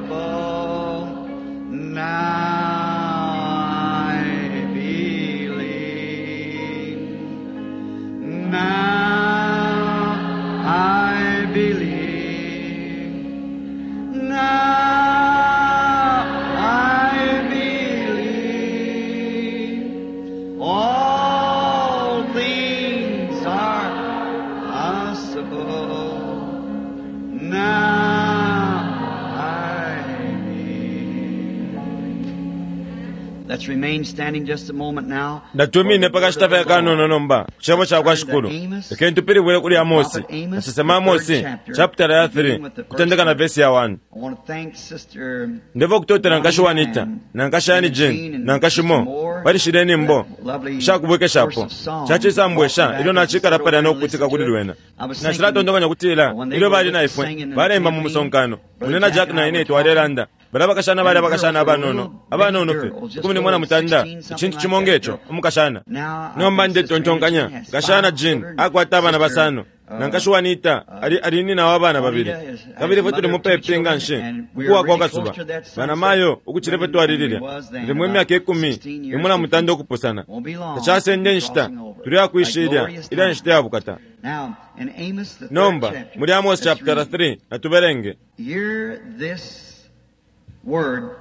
possible. Now I believe. Now I believe. Now I believe. All things are possible. Now I believe. Let's remain standing just a moment now. Natumine pakashita fye kanono nomba ku cebo ca kwa Shikulu. Lekeni tupilibwile kuli Amosi, kasesema Amosi, chapitala ya 3, kutendeka na vesi ya 1. I want to thank Sister Ndeva okutotela nkashi Juanita, na nkashi Annie Jane, na nkashi Mo, balishile nimbo shakubwekeshapo cacisambwesha ilyo nacikala palya no kukutika kuli lwena. Nacilatontonkanya kutila ilyo bali na ifwe balemba mu musonkano, une na Jack na ine twalelanda bala bakashana bali abakashana abanono abanono fye 18, icintu cimo ngeco umukashana. Nomba ndetontonkanya nkashana Jean akwata abana basano na nkashi Juanita ali ali nina wa bana babili, kabili ifwe tuli mupepi nga nshi ukuwa kwa kasuba banamayo ukucila ifwe twali lilya limo imyaka 10 imo na mutanda ukupusana. Tacasende inshita tuli akwisha ilya ilya nshita ya bukata. Now, in Amos, the third Nomba chapter, muli Amos let's chapter read. 3 natubelenge. Hear this word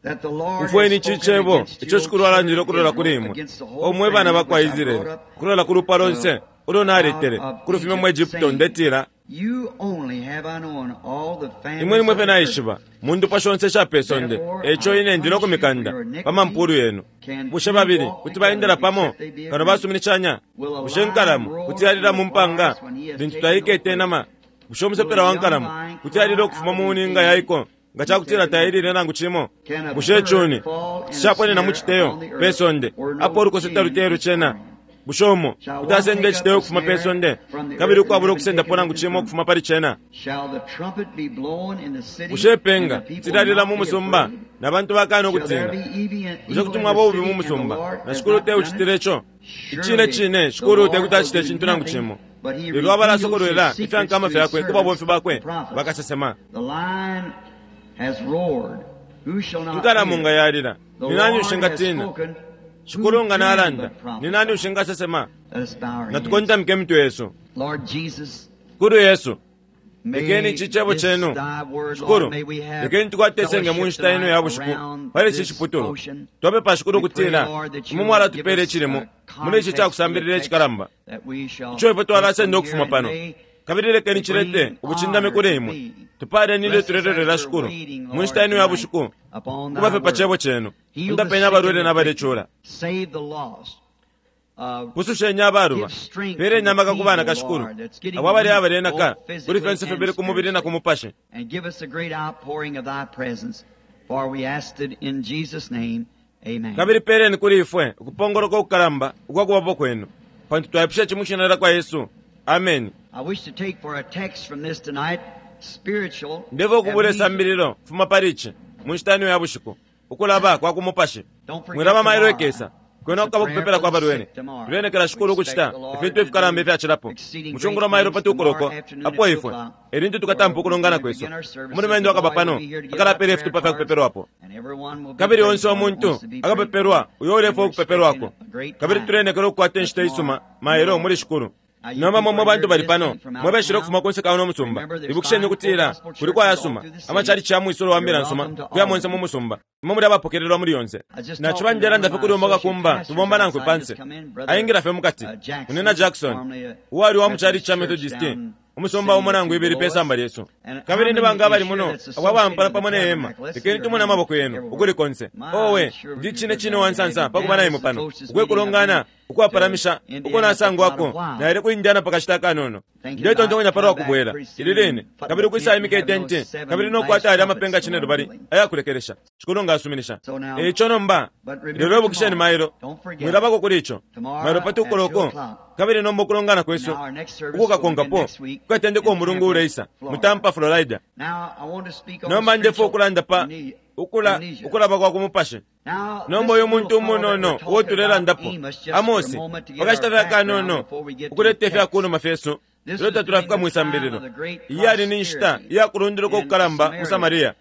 that the Lord has Umfweni ici spoken cebo against ico you, Shikulu alandile ukulola kuli Israel, imwe, against the whole o mwe bana family ba kwa which I Israeli, brought up kulola ku lupwa lonse ulo naletele kulufuma mu Egypto, ndetila You only have I known all the families imwe nimwe of fye the earth. naishiba mu ndupwa shonse isha pe sonde, eco ine ndi no kumikanda pa mampulu yenu. Bushe babili kuti baendela pamo kano basuminishanya? Bushe nkalamo kuti yalila mu mpanga lintu taikete inama? Bushe umusepela wa nkalamo kuti yalila ukufuma mu ninga yaiko nga cakutila tailile nangu cimo? Bushe icuni kuti caponena mu citeyo pe sonde apo ulukose taluteye cena? Bushe umo kuti asenda iciteyo ukufuma pe sonde kabili ukwabula ukusendapo nangu cimo ukufuma pali cena? Shall the trumpet be blown in the city, Bushe ipenga and the people tilalila not mu be musumba afraid? na bantu bakana Shall there ukutina? be evil Bushe kuti in mwaba the ububi city, mu and the musumba Lord na has Shikulu not te done ucitile it? ico? Icine cine Shikulu te kuti acite icintu nangu cimo, lelo abalasokolwela ifya nkama fyakwe ku babomfi bakwe bakasesema. The lion has roared. Who shall not Inkalamo fear? nga yalila, The ni nani Lord has ushingatina? spoken. Shikulu Who nga can nalanda, but prophesy? ni nani ushingasesema? Let us bow our heads. Natukontamike imitwe yesu. Lord Jesus, Kulu Yesu, may lekeni ici cebo this cenu thy word, Shikulu, Lord, may we have lekeni tukwate isenge mu nshita ino ya fellowship bushiku tonight around pali ici this ciputulwa. ocean. Twapepa Shikulu We pray, ukutila Lord, that you imwe will mwalatupela give us icilimo a muli ici context ca to the kusambilila text icikalamba that we shall ico ifwe twalasenda take from ukufuma here and pano, may kabili lekeni cilete bring ubucindami honor kuli to imwe. thee. Tupaleni ilyo Bless us as tulelolela we're Shikulu waiting, mu nshita Lord, ino ya tonight bushiku upon thy kubafe pa word. cebo cenu. Heal the Undapeni sick abalwele and na afflicted. balecula, Save the lost. Pususheni abaluba, Give strength to peleni the amaka ku bana feeble, ka Shikulu, Lord, that's getting abo abali weak, abalenaka both kuli physically fyonse and fibili ku mubili na ku spiritually. mupashi. And give us a great outpouring of thy presence, for we asked it in Jesus' name. Amen. Kabili peleni kuli ifwe ukupongoloka ukukalamba ukwa kubapo kwenu, pantu twaipusha ici mu shina lya kwa Yesu. Ameni. I wish to take for a text from this tonight, spiritual Ndeva ukubula amnesia. isambililo fuma pali ici mu nshita ino ya bushiku, ukulaba kwa ku mupashi. Don't forget Mwilaba mailo tomorrow. ikesa kwena It's a kukaba prayer ukupepela for kwa the balwele. sick tomorrow. Tulenekela We Shikulu expect ukucita the Lord ifintu to ifikalamba do ifyacilapo exceeding mu cungulo great mailo things pa tukoloko tomorrow afternoon apo at 2 ifwe o'clock. elintu tukatampa Where ukulongana we're going to kwesu. begin our services. Umulumendo The akaba boy pano will be here to give out akalapela prayer ifitupa fya cards, kupepelwapo, and everyone will be kabili prayed onse for that umuntu wants to be prayed akapepelwa for. uyo And ulefwaya we're ukupepelwako, expecting a great kabili time. tulenekela ukukwata But inshita isuma tomorrow, mailo muli Shikulu. Now, you Nomba people mwe are bantu here bali pano visiting from out mwe of beshile town. ukufuma kunse ka uno musumba, Remember, there's ibukisheni 5 full ukutila gospel kuli churches all kwayasuma through the city. amachalichi ya mwisolo wa mbila You're nsuma welcome to kuya all of monse mu them. musumba, imwe muli abapokelelwa muli yonse. I was just Naciba talking to one ndelanda of fye my kuli umo associate kakumba pastors tubomba nankwe outside, panse just come in, Brother aingila fye mukati Jackson, unina Jackson formerly a uwali wa mu chalichi Methodist cha church Methodist down umusumba city umo nangu or two ibili pe below us. samba lyesu. And how Kabili ni many banga is abali here muno that's abo abampala associated pamo with the ne hema, tabernacle? Let's see lekeni your tumone hands amaboko yenu everywhere. ukuli konse. My, Owe I'm sure ndi we'd cine be cine glad to wa have nsansa you pa kuba down. na This imwe is the pano closest ukwe meeting I've kulongana been to ukwapalamisha uko Indiana for quite a nasangwako while. naile ku Indiana pakashita akanono. Thinking about Ndetontonkanya palwa coming back kubwela pretty soon ili line and putting kabili a ukwisa tent and imika having itenti those kabili 7 no last kwata alya trumpets amapenga cine tomorrow lubali morning. ayakulekelesha. Shikulu nga asuminisha. So now, Eico nomba but lelo remember ibukisheni tomorrow, mailo don't forget, mwilabako kuli ico mailo tomorrow pa at 2 tukoloko o'clock. kabili nomba ukulongana kwesu Now our next service will begin ukukakonkapo next week kukatendeka in umulungu Tampa, uleisa mu Florida. Tampa, Florida. Now I want to speak on Nomba ndefwaya spiritual ukulanda pa amnesia. ukulaba kwa ku mupashi. Now Nomba this uyu muntu little fellow that we're umunono uo talking about, tulelandapo Amos, just for a Amosi moment to get pakashita our fye background akanono before we get to the ukuleta ifya text. kunuma fyesu Ilyo tatulafika mwi sambililo, iyali ni nshita iyakulunduluka ukukalamba mu Samaria.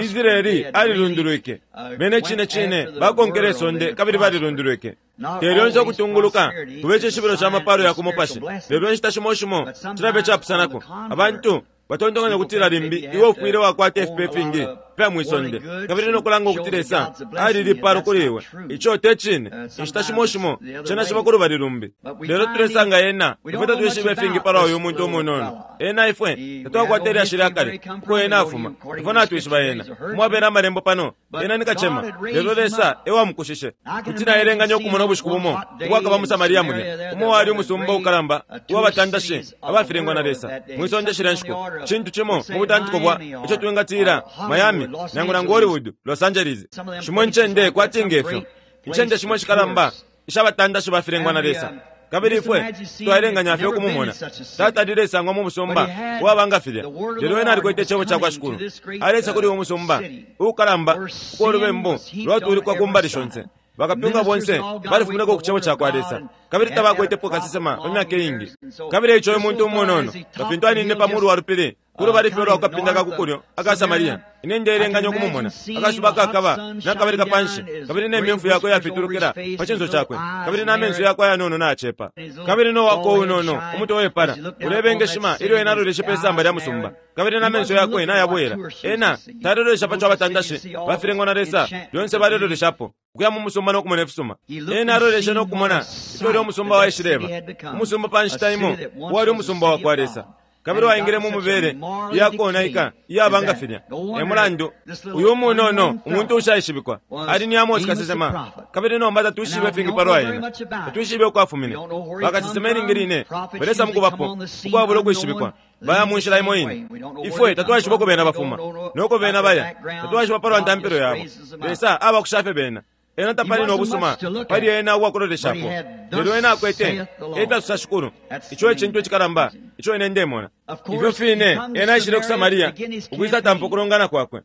Israeli alilundulwike. Bene cine cine bakonkele isonde kabili balilundulwike. Te lyonse ukutunguluka kube icishibilo ca mapalo ya ku mupashi, lelo inshita shimo shimo cilabe capusanako. Abantu batontonkanya ukutila limbi iwe ufwile wakwata ifipe ifingi ifya mwi sonde kabili no kulanga ukuti Lesa alilipalo kuli iwe. Ico te cine. Inshita shimo shimo cena ciba ku lubali lumbi. Lelo tulesanga ena, ifwe tatwishibe ifingi palwa uyu muntu umunono. Ena ifwe tatwakwata ilyashi lya kale uko ena afuma. Ifwe natwishiba ena. Umwabela amalembo pano, ena ni kacema, lelo Lesa e wamukushishe. Kuti naelenganya ukumona ubushiku bumo ubwakaba mu Samaria mulya, umo wali umusumba ukalamba uwa batandashi abafilengwa na Lesa mwi sonde shilya nshiku. Cintu cimo mu butantiko bwa ico twingatila Miami nangu nangu Hollywood, Los Angeles. Shimo incende kwati ngefyo, incende shimo ishikalamba ishabatandashi bafilengwa na Lesa. Kabili ifwe twaelenganya fye ukumumona tatalile sangwa mu musumba uwaba nga filya, lelo ena alikwete icebo ca kwa Shikulu. Alesa kuli uwo musumba uukalamba uko ulubembu lwatulikwa ku mbali shonse. Bakapyunga bonse balifumineko ku cebo ca kwa Lesa, kabili tabakwetepo kasesema pa myaka iingi. Kabili eico uyu muntu umunono, nga fintu aninine pa mulu wa lupili ku lubali fye ulwa kukapinda ka ku kulyo aka Samaria, ine ndeelenganya ukumumona akasuba kakaba nakabeleka panshi, kabili ne myemfu yakwe yafitulukila pa cinso cakwe, kabili na menso yakwe ayanono nayacepa, kabili no wako unono umutwe wepala ulebengeshima ilyo ena aloleshe pe samba lya musumba, kabili na menso yakwe nayabwela. Ena talelolesha pa co abatandashi bafilengwa na Lesa lyonse baleloleshapo, ukuya mu musumba no kumona ifisuma. Ena aloleshe no kumona ifyo ulya umusumba waishileba, umusumba pa nshita imo uwali umusumba wa kwa Lesa, kabili waingile mu mubele iyakonaika iyaba nga filya. E mulandu uyu umunono umuntu ushaishibikwa ali ni Amosi kasesema, kabili nomba tatwishibe ifingi palwa ena, tatwishibe uko afumine. Bakasesema ilingi line balesa mukubapo ukwabula ukwishibikwa, baya mu nshila imo ine. Ifwe tatwaishiba uko bena bafuma noko bena baya, tatwaishiba palwa ntampilo yabo. Lesa abakusha fye bena. Ena tapali no busuma pali ena ubwakuloleshapo, lelo ena akwete efyasusa Shikulu. Ico ecintu icikalamba ico ine ndemona. Ifyo fine ena aishile ku Samaria ukwisa tampa ukulongana kwakwe.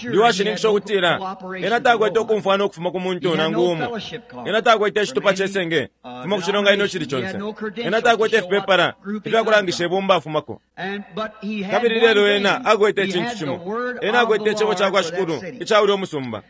Ndi washininkisha ukutila ena takwete ukumfwana ukufuma ku muntu nangu umo. Ena takwete icitupa cesenge kufuma ku cilonganino icili conse. Ena takwete ifipepala ifyakulangisha ibumba afumako. Kabili lelo ena akwete icintu cimo. Ena akwete icebo ca kwa Shikulu ica ulya umusumba.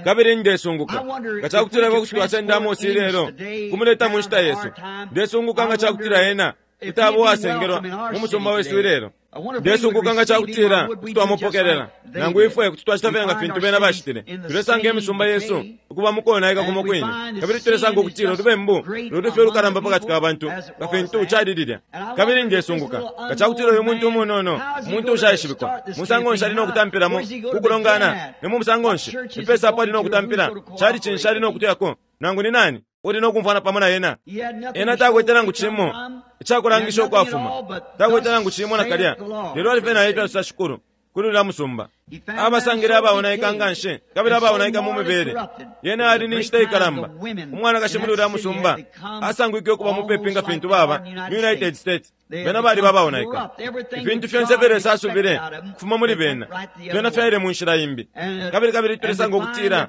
Kabili ndesunguka nga cakutila ifwe kuti twasenda Amosi ilelo kumuleta mu nshita yesu. Ndesunguka nga cakutila ena kuti aba uwasengelwa mu musumba wesu ilelo. Ndesunguka nga cakutila kuti twamupokelela, nangu ifwe kuti twacita fye nga fintu bena bacitile. Tulesanga imisumba yesu ukuba mu konaika kumo kwine, kabili tulesanga ukutila ulubembu luli fye ulukalamba pakati ka bantu nga fintu cali lilya. Kabili ndesunguka nga cakutila uyu muntu umunono, umuntu ushaishibikwa, musango nshi ali no kutampilamo ku kulongana, ni mu musango nshi ipesa apo ali no kutampila, cali cinshi ali no kutuyako, nangu ni nani uli no kumfwana pamo na ena. Ena takwete nangu cimo icakulangisha uko afuma, takwete nangu cimo nakalya, lelo ali fye na efyasusa Shikulu kuli ulya musumba. Abasangile abaonaika nga nshi kabili abaonaika mu mibele. Yena ali ni nshita ikalamba. Umwanakashi muli ulya musumba asangwike ukuba mupepi nga fintu baba mu United States. Bena baliba abaonaika. Ifintu fyonse ifyo Lesa asubile kufuma muli bena, fyena fyaile mu nshila imbi. Kabili kabili tulesanga ukutila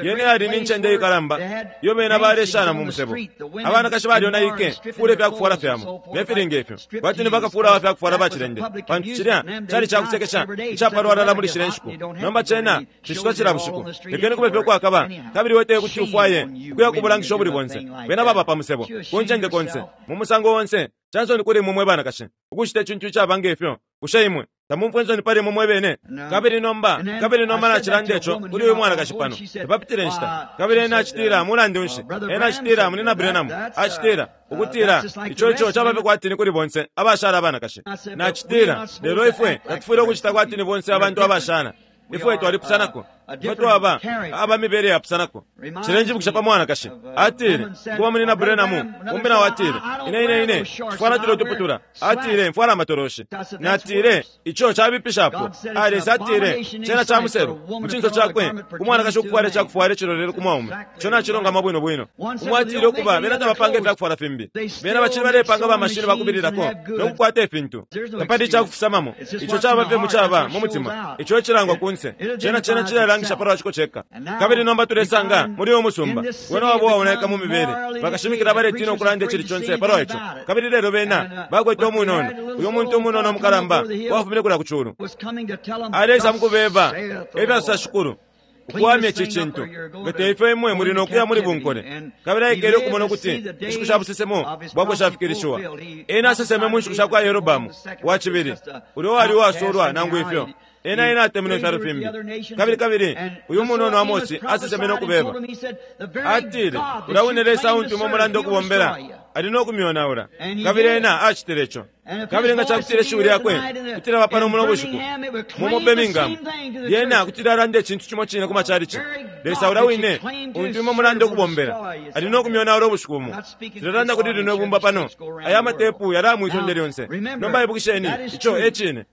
yene yali ni ncende ikalamba iyo bena baleshana mu musebo. Abanakashi balyonaike kufula ifyakufwala fyabo ne fili ngefyo, kwati ni bakafula wa fyakufwala bacilende, pantu cilya cali cakusekesha icapalwalala muli shilya nshiku. Nomba cena cicitwa cila bushiku. Lekeni kube fye ukwakaba, kabili iwe te kuti ufwaye ukuya ku bulangisho ubuli bonse. Bena baba pa musebo, ku ncende konse, mu musango onse. Cansoni kuli imwe mwe banakashi ukucita icintu icaba ngefyo. Bushe imwe tamumfwa insoni pali imwe mwe bene? Kabili nomba, kabili nomba nacilanda ico kuli uyu mwanakashi pano. Tapapitile inshita, kabili ena acitila, mulandu nshi, ena acitila, Munyina Branham acitila, ukutila, ico ico caba fye kwati ni kuli bonse abashala abanakashi. Nacitila, lelo ifwe tatufwile ukucita kwati ni bonse abantu abashala. Ifwe twalipusanako. Ifwe twaba aba mibele yapusanako. Cilenjibukisha pa mwanakashi. Atile, kuba Munyina Branham, umbi nao atile, Ine, ine, ine, nshifwala tulya utuputula. Atile, mfwala amatoloshi. Natile, ico cabipishapo. Ah, Lesa atile, cena ca muselu mu cinso cakwe, ku mwanakashi ukufwala icakufwala icilolele ku mwaume. Ico nacilungama bwino bwino. Umo atile, ukuba, bena tabapanga ifyakufwala fimbi. Bena bacili balepanga ba mashini bakubililako no kukwata ifintu. Tapali icakufisamamo. Ico caba fye mu caba mu mutima. Ico ecilangwa kunse. Cena, cena cilelanga. ukuilangisha palwa ciko ceka. Kabili nomba tulesanga muli uyu musumba wena waba uwaonaika mu mibele, bakashimikila baletina ukulanda icili conse palwa ico. Kabili lelo bena bakwete umunono, uyu muntu umunono umukalamba wafumine kulya ku culu, aleisa mukubeba, efyasosa shikulu, ukuwamya ici cintu, nga teifyo imwe muli nokuya muli bunkole. Kabili aikele ukumona ukuti inshiku sha busesemo bwakwe shafikilishiwa. Ena aseseme mu nshiku sha kwa Yerobamu wa cibili, ulya uwali uwasulwa nangu ifyo. Ena ena atemenwe ifyalo fimbi. Kabili kabili uyu munono Amosi aseseme no kubeba, atile, ulya wine Lesa untu imwe mulanda ukubombela ali no kumyonaula. Kabili ena acitile ico. Kabili nga cakutila ishiwi lyakwe kuti lyaba pano muno bushiku mu Birmingham, lyena kuti lyalanda icintu cimo cine ku macalici. Lesa ulya wine untu imwe mulanda ukubombela ali no kumyonaula ubushiku bumo. Tulelanda kuli lino ibumba pano, aya matepu yalaya mwi sonde lyonse. Nomba ibukisheni, ico e cine.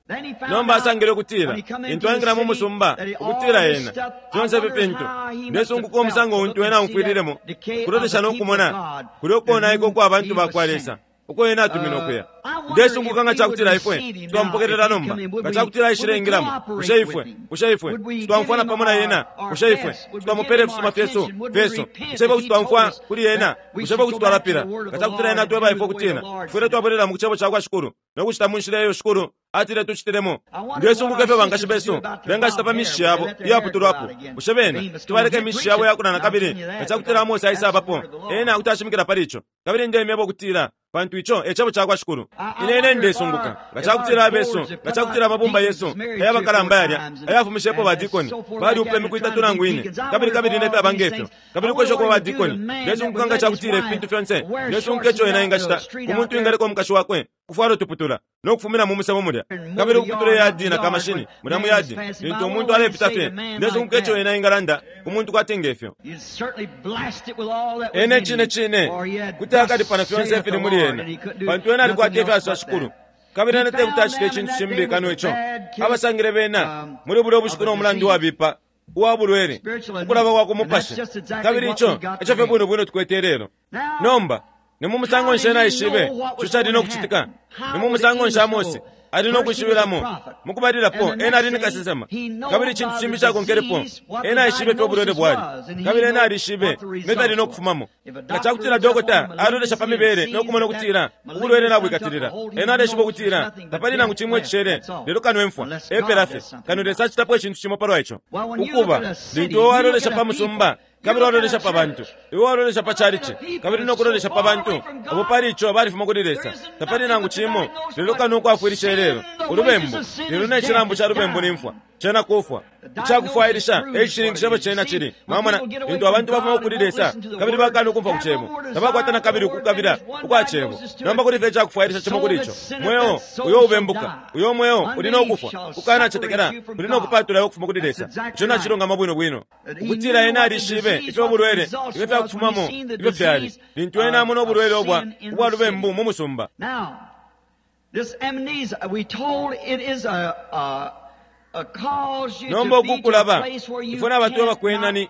Nomba asangile ukutila lintu aingila mu musumba, ukutila ena fyonse ifi fintu, ndesunguka umusango untu ena aumfwililemo, ukulolesha no kumona kulya ukonaika ukwa bantu bakwa Lesa uko ena atumine ukuya. Ndesunguka nga cakutila ifwe twamupokelela nomba, nga cakutila aishile ingilamo, bushe ifwe, bushe ifwe titwamfwana pamo na ena? Bushe ifwe titwamupela ifisuma fyesu fyesu? Bushe ifwe kuti twamfwa kuli ena? Bushe ifwe kuti twalapila nga cakutila ena atweba ifwe ukutila tufwile twabwelela mu cebo cakwa Shikulu no kucita mu nshila iyo Shikulu atile tucitilemo? Ndesunguka ifyo bankashi besu bengacita pa mishishi yabo iyaputulwapo. Bushe bena kuti baleka imishishi yabo yakula na kabili nga cakutila Amose aisabapo? Ena kuti ashimikila pali ico. Kabili ndemyeba ukutila, pantu ico e cebo cakwa Shikulu. Ine ine ndesunguka nga cakutila abesu, nga cakutila amabumba yesu ayabakalamba yalya ayafumishepo badikoni baliupa imiku itatu nangu ine, kabili kabili nefyaba ngefyo, kabili ukwesha ukuba badikoni. Ndesunguka nga cakutila ifintu fyonse, ndesunguka ico ena engacita ku muntu uwingaleka umukashi wakwe ukufwala utuputula no kufumina mu musebo mulya, kabili ukuputula iyadi na kamashini mulya mu yadi lintu umuntu alepita fye. Ndesunguka ico ena engalanda ku muntu kwati ngefyo. Ena icine cine kuti akalipa na fyonse ifili muli ena, pantu ena alikwata ifyasosa shikulu, kabili ena tekuti acite icintu cimbi kano ico. Abasangile bena muli bulya ubushiku no mulandu wabipa uwa bulwele, ukulaba kwa ku mupashi, kabili ico eco fye bwino bwino tukwete ilelo. Nomba ni mu musango nshi ena aishibe ico cali no kucitika? Ni mu musango nshi Amose ali no kwishibilamo? Mukubalilapo, ena ali ni kasesema. Kabili icintu cimbi cakonkelepo, ena aishibe ifyo ubulwele bwali, kabili ena alishibe ne fyali no kufumamo. Nga cakutila dokota alolesha pa mibele no kumona ukutila ubulwele nabwikatilila, ena aleshiba ukutila tapali nangu cimo icishele lelo kano imfwa, epela fye, kano Lesa acitapo icintu cimo palwa ico. Ukuba, lintu iwe walolesha pa musumba, kabili walolesha pa bantu, iwe walolesha pa chalichi, kabili no kulolesha pa bantu abo pali ico balifuma kuli Lesa, tapali nangu cimo lelo kano ukwafwilisha ilelo ulubembu. Lelo ne cilambu ca lubembu ni mfwa, cena kufwa. Icakufwailisha e cishininkisho ifyo cena cili. Mwamona, lintu abantu bafuma kuli Lesa kabili bakana ukumfwa ku Cebo, tabakwata na kabili ukukabila ukwa Cebo. Nomba kuli fye icakufwailisha cimo kuli ico, mweo uyo ubembuka, uyo mweo uli no kufwa, ukukanacetekela kuli no kupatula iwe ukufuma kuli Lesa. Ico nacilungama bwino bwino. Ukutila ena alishibe ifyo ubulwele, ifyo fyakufumamo, ifyo fyali, lintu ena amona ubulwele ubwa, ubwa lubembu mu musumba. This amnesia, we told it is a Nomba uku kulaba, ifwe na batweba kwena ni,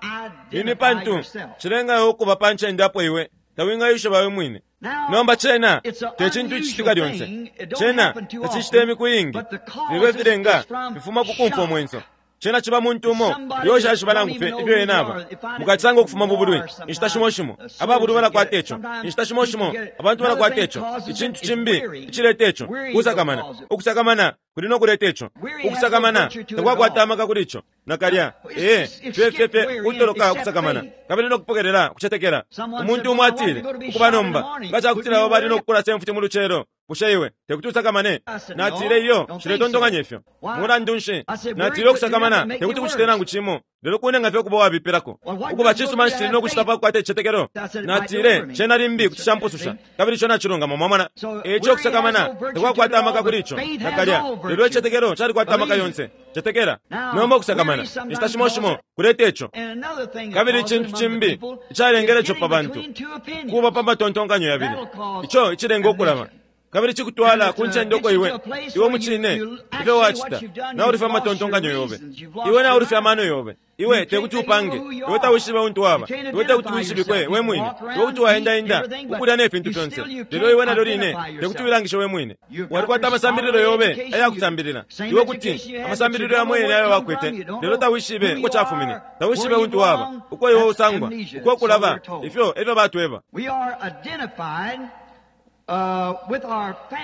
ni pantu cilenga iwe ukuba pa ncende apo iwe tawingayishiba we mwine. Nomba cena te cintu icicitika lyonse, cena tacicita imiku iingi, lelo ifilenga fifuma ku kumfwa umwenso. Cena ciba muntu umo uyo ushaishiba nangu fye ifyo ena aba. Mukacisanga ukufuma mu bulwi inshita shimo shimo. Ababulwi balakwata ico. Inshita shimo shimo abantu balakwata ico. Icintu cimbi icileta ico kusakamana. Ukusakamana kuli no kuleta ico. Ukusakamana takwakwata amaka kuli ico nakalya. Ee, fye fye fye kutoloka ukusakamana kabili no kupokelela ukucetekela. Umuntu umo atile, Ukuba nomba, nga ca kutila abo bali no kukulasa imfuti mu lucelo, bushe iwe tekuti usakamane? Natile, Iyo, nshiletontonkanya ifyo. Mulandu nshi? Natile, Ukusakamana tekuti kucite nangu cimo, lelo kunenga fye ukuba uwabipilako. Ukuba, cisuma nshi cili no kucita pa kukwata icitetekelo? Natile, Cena limbi kuti campususha. Kabili ico nacilungama, mwamona. E ico ukusakamana takwakwata amaka kuli ico, nakalya, lelo icitetekelo calikwata amaka yonse. Cetekela. Nomba ukusakamana, inshita shimo shimo, kuleta ico. Kabili icintu cimbi icalengele ico pa bantu, kuba pa matontonkanyo yabili. Ico icilenga ukulaba. Kabili cikutwala ku ncende uko iwe iwe mucine ifyo wacita naulufya amatontonkanyo yobe, iwe naulufya amano yobe. Iwe tekuti upange, iwe tawishibe untu waba, iwe tekuti wishibikwe we mwine, iwe kuti waendaenda ukulya ne fintu fyonse, lelo iwe nalyo line tekuti wilangishe we mwine. Walikwata amasambililo yobe ayakusambilila, iwe kuti amasambililo yamo yene ayo wakwete, lelo tawishibe uko cafumine, tawishibe untu waba, uko iwe usangwa, uko kulaba. Ifyo efyo batweba.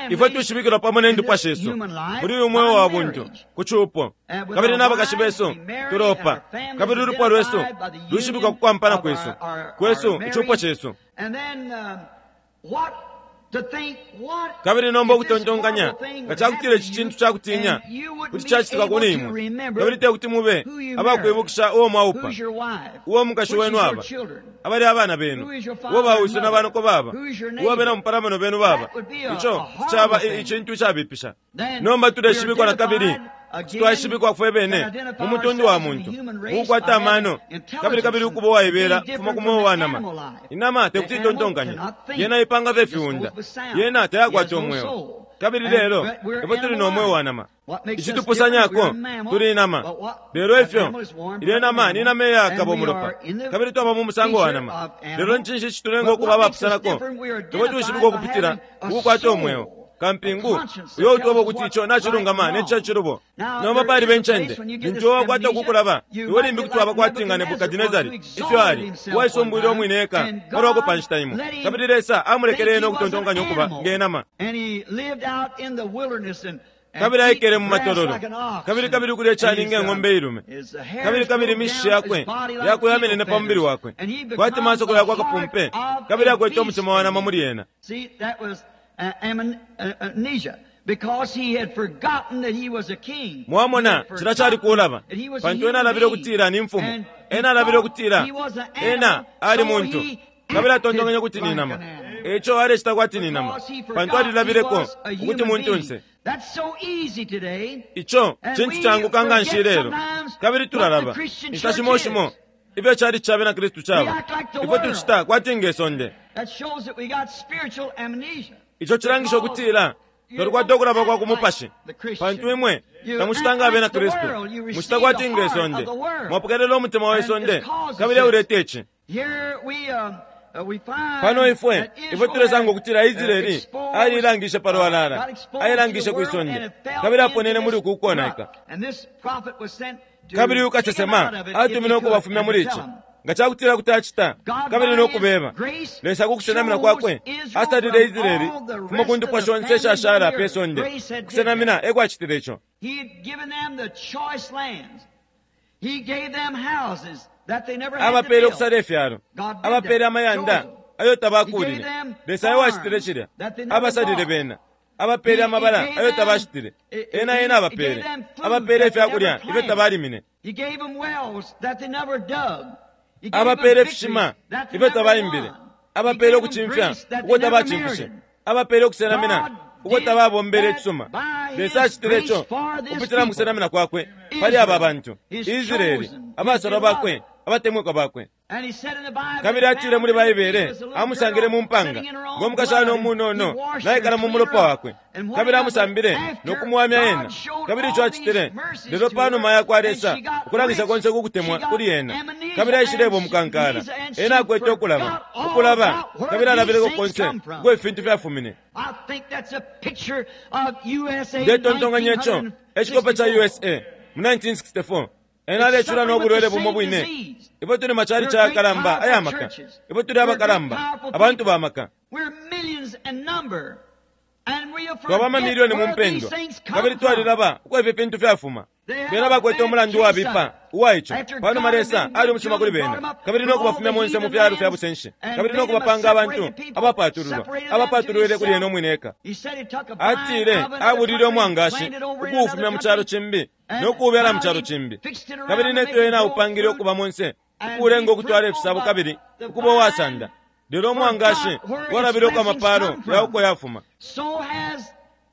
Ifwe tushibikilwa pamo ne ndupwa shesu muli uyu mweo wa buntu ku cupo, kabili n'abakashi besu tulopa, kabili ulupwa lwesu lushibikwa ku kwampana kwesu kwesu icupo cesu. Kabili nomba ukutontonkanya nga cakutila ici cintu cakutinya kuti cacitika kuli imwe, kabili tekuti mube abakwibukisha uo mwaupa, uo mukashi wenu aba, abali abana benu, uo bawiso na banoko baba, uo abena mupalamano benu baba, ico caba icintu icabipisha. Nomba tuleshibikwa na kabili twashibikwa fwe bene mu mutundu wa muntu ukukwata amano kabili kabili ukuba uwaibela kufuma ku mweo wa nama. Inama tekuti itontonkanye, yena ipanga fye fiunda, yena tayakwata umweo. Kabili lelo ifwe tuli no mweo wa nama, icitupusanyako tuli inama. Lelo ifyo ilyo nama ni nama iyakaba umulopa, kabili twaba mu musango wa nama. Lelo ncinshi icitulenga ukuba abapusanako? Ifwe tushibikwa ukupitila ukukwata umweo kampingu uyo utweba ukuti ico nacilungama ne cacilubo. Nomba palibe ncende lintu iwe wakwata ukukulaba, iwe limbi kuti waba kwati nga Nebukadinezari ifyo ali uwaisumbwile umwine eka palwako pa nshita imo, kabili Lesa amulekele ena ukutontonkanya ukuba nge nama. Kabili aikele mu matololo, kabili kabili ukulya icani nge ng'ombe ilume, kabili kabili imishishi yakwe yakwe yamenene pa mubili wakwe kwati masoko yakwe akapumpe, kabili akwete umutima wa nama muli ena. Mwamona, cila cali kulaba, pantu ena alabile ukutila ni mfumu, ena alabile ukutila ena ali muntu, kabili atontonkanya ukuti ni nama. Eco alecita kwati ni nama, pantu alilabileko ukuti muntunse. Ico cintu canguka nga nshi lelo, kabili tulalaba inshita shimo shimo ifyo cali ca bena Kristu caba. Ifwe tucita kwati nge sonde. Ico cilangisha ukutila twalikwata ukulaba kwa kumupashi, pantu imwe tamucita nga abena Kristu, mucita kwati nge sonde, mwapokelela umutima we sonde, kabili euleta ici. Pano ifwe ifwe tulesanga ukutila Israeli aliilangishe palwalala, ailangishe kwi sonde, kabili aponene muli uku ukonaika. Kabili uyu kasesema atumine ukubafumya muli ici nga cakutila kuti acita, kabili nokubeba. Lesa kukusenamina kwakwe asalile Israeli fuma ku ndupwa shonse ishashala pe sonde. Kusenamina ekwacitile ico. Abapeele ukusala ifyalo, abapeele amayanda ayo tabakuulile. Lesa ewacitile cilya, abasalile bena. Abapeele amabala ayo tabashitile, ena ena abapeele. Abapeele ifyakulya ifyo tabalimine. Abapeele ifishima ifyo tabaimbile. Abapeele ukucimfya uko tabacimfishe. Abapeele ukusenamina uko tababombele icisuma. Lesa acitile ico kupitila mu kusenamina kwakwe pali aba bantu Israeli, abasalwa bakwe, abatemwikwa bakwe. Kabili atile muli Baibele amusangile mu mpanga ngo mukashana umunono naikala mu mulopa wakwe, kabili amusambile no kumuwamya ena. Kabili ico acitile lelo panuma yakwa Lesa ukulangisha konse kukutemwa kuli ena, kabili aishileba umukankala. Ena akwete ukulaba ukulaba, kabili alabileko konse uko ifintu fyafumine. Ndetontonkanya ico ecikope ca USA mu 1964. Ena alecula no bulwele bumo bwine. Ifwe tuli macali cayakalamba aya maka, ifwe tuli abakalamba, abantu ba maka, twaba amamilioni mu mpendwa, kabili twalilaba uko ifi fintu fyafuma. Bena bakwete umulandu wabipa uwa ico. Panuma Lesa ali umusuma kuli bena, kabili no kubafumya monse mu fyalo fya busenshi, kabili no kubapanga abantu abapatululwa, abapatulwile kuli ena umwine eka. Atile abulile umwangashi ukuufumya mu calo cimbi no kuubyala mu calo cimbi, kabili neto ena aupangile ukuba monse, ukuulenga ukutwala ifisabo kabili ukuba uwasanda. Lelo umwangashi walabile uko amapalo ya uko yafuma.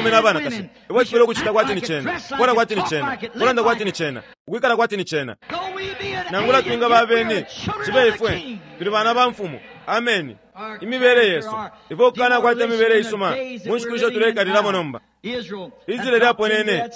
abaume na banakashi, ifwe tufwile ukucita kwati ni Cena, ukufwala kwati ni Cena, ukulanda kwati ni Cena, ukwikala kwati ni Cena. Nangula twingaba abeni, cibe ifwe tuli bana ba Mfumu. Ameni. Imibele yesu, ifwe ukukanakwata imibele isuma mu nshiku isho tuleikalilamo nomba. Israeli aponene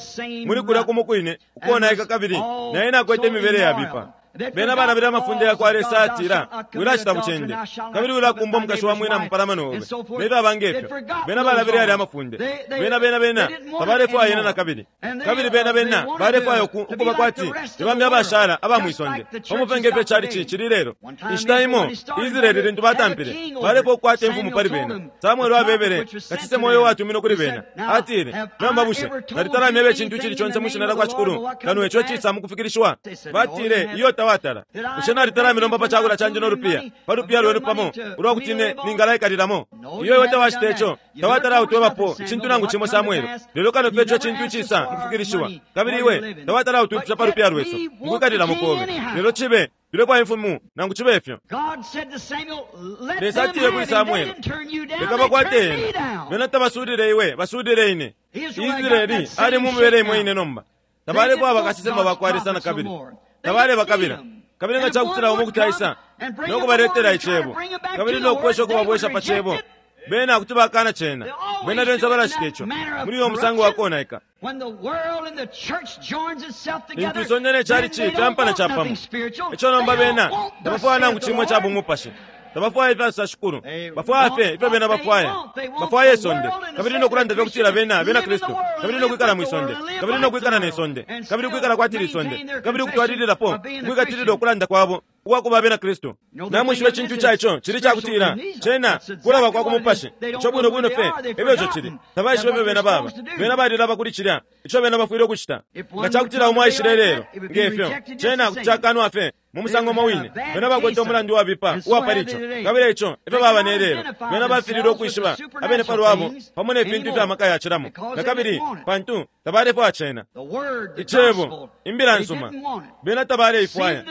muli kulya kumo kwine ukonaika kabili naye nakwete imibele yabipa. Bena balabila amafunde yakwa Lesa atila, wilacita bucende, kabili wilakumba umukashi wa mwina mupalamano obe, ne fyaba ngefyo. Bena balabile yalya amafunde. Bena, bena, bena tabalefwaya yena nakabili. Kabili bena, bena balefwaya uku, ukuba kwati ni bambi abashala aba mwi sonde, pamo fye ngefyo icalici cili lelo. Inshita imo, Israeli lintu batampile, balefwaya ukukwata imfumu pali bena. Samuele abebele, kasesema uyo uwatuminwe kuli bena. Atile, Nomba bushe nalitala myeba icintu icili conse mwi shina lyakwa Shikulu, kano ico icisa mukufikilishiwa? Batile, Iyo. tawatala. Bushe nalitala milomba pa cakulya candi no lupiya pa lupiya lwenu pamo ulwa kuti ine ningalaikalilamo? Iyo, iwe tawacita ico. Tawatala utwebapo icintu nangu cimo, Samwele, lelo kano fye ico cintu icisa mukufikilishiwa. Kabili iwe tawatala utwipusha pa lupiya lwesu mukwikalilamo kobe. Lelo cibe tulefwaya imfumu nangu cibe ifyo. Lesa atile kuli Samwele, leka bakwate ena. Bena tabasulile iwe, basulile ine. Israeli ali mu mibele imo ine nomba. Tabalefwaya bakasesema bakwa Lesa na kabili. Tabalebakabila. Kabili nga cakutila umo kuti aisa no kubaletela icebo, kabili no kwesha ukubabwesha pa cebo, bena kuti bakana cena. Bena lyonse balacita ico muli uyo musango wa konaika. Lintu isonde ne chalichi fyampana capamo, ico nomba bena tabafwaya nangu cimo ica bumupashi. Tabafwaya ifya Shikulu. Bafwaya fye ifyo bena bafwaya. Bafwaya isonde, kabili no kulanda fye kutila bena bena Kristu, kabili no kwikala mwi sonde, kabili no kwikala ne sonde, kabili kwikala kwati lisonde, kabili ukutwalililapo ukwikatilila ukulanda kwabo ukwa kuba abena Kristu. Namwishiba icintu ica ico cili cakutila cena kulaba kwa ku mupashi. Ico bwino bwino fye efyo ico cili. Tabaishiba ifyo bena baba. Bena balilaba kuli cilya ico bena bafwile ukucita. Nga cakutila umo aishile ilelo nge fyo, cena kuti cakanwa fye mu musango umo wine. Bena bakwete umulandu wabipa uwa pali ico, kabili ico efyo baba ne lelo. Bena bafililwe ukwishiba abene pa lwabo pamo ne fintu ifya maka yacilamo na kabili, pantu tabalefwaya cena. Icebo, imbila nsuma, bena tabaleifwaya.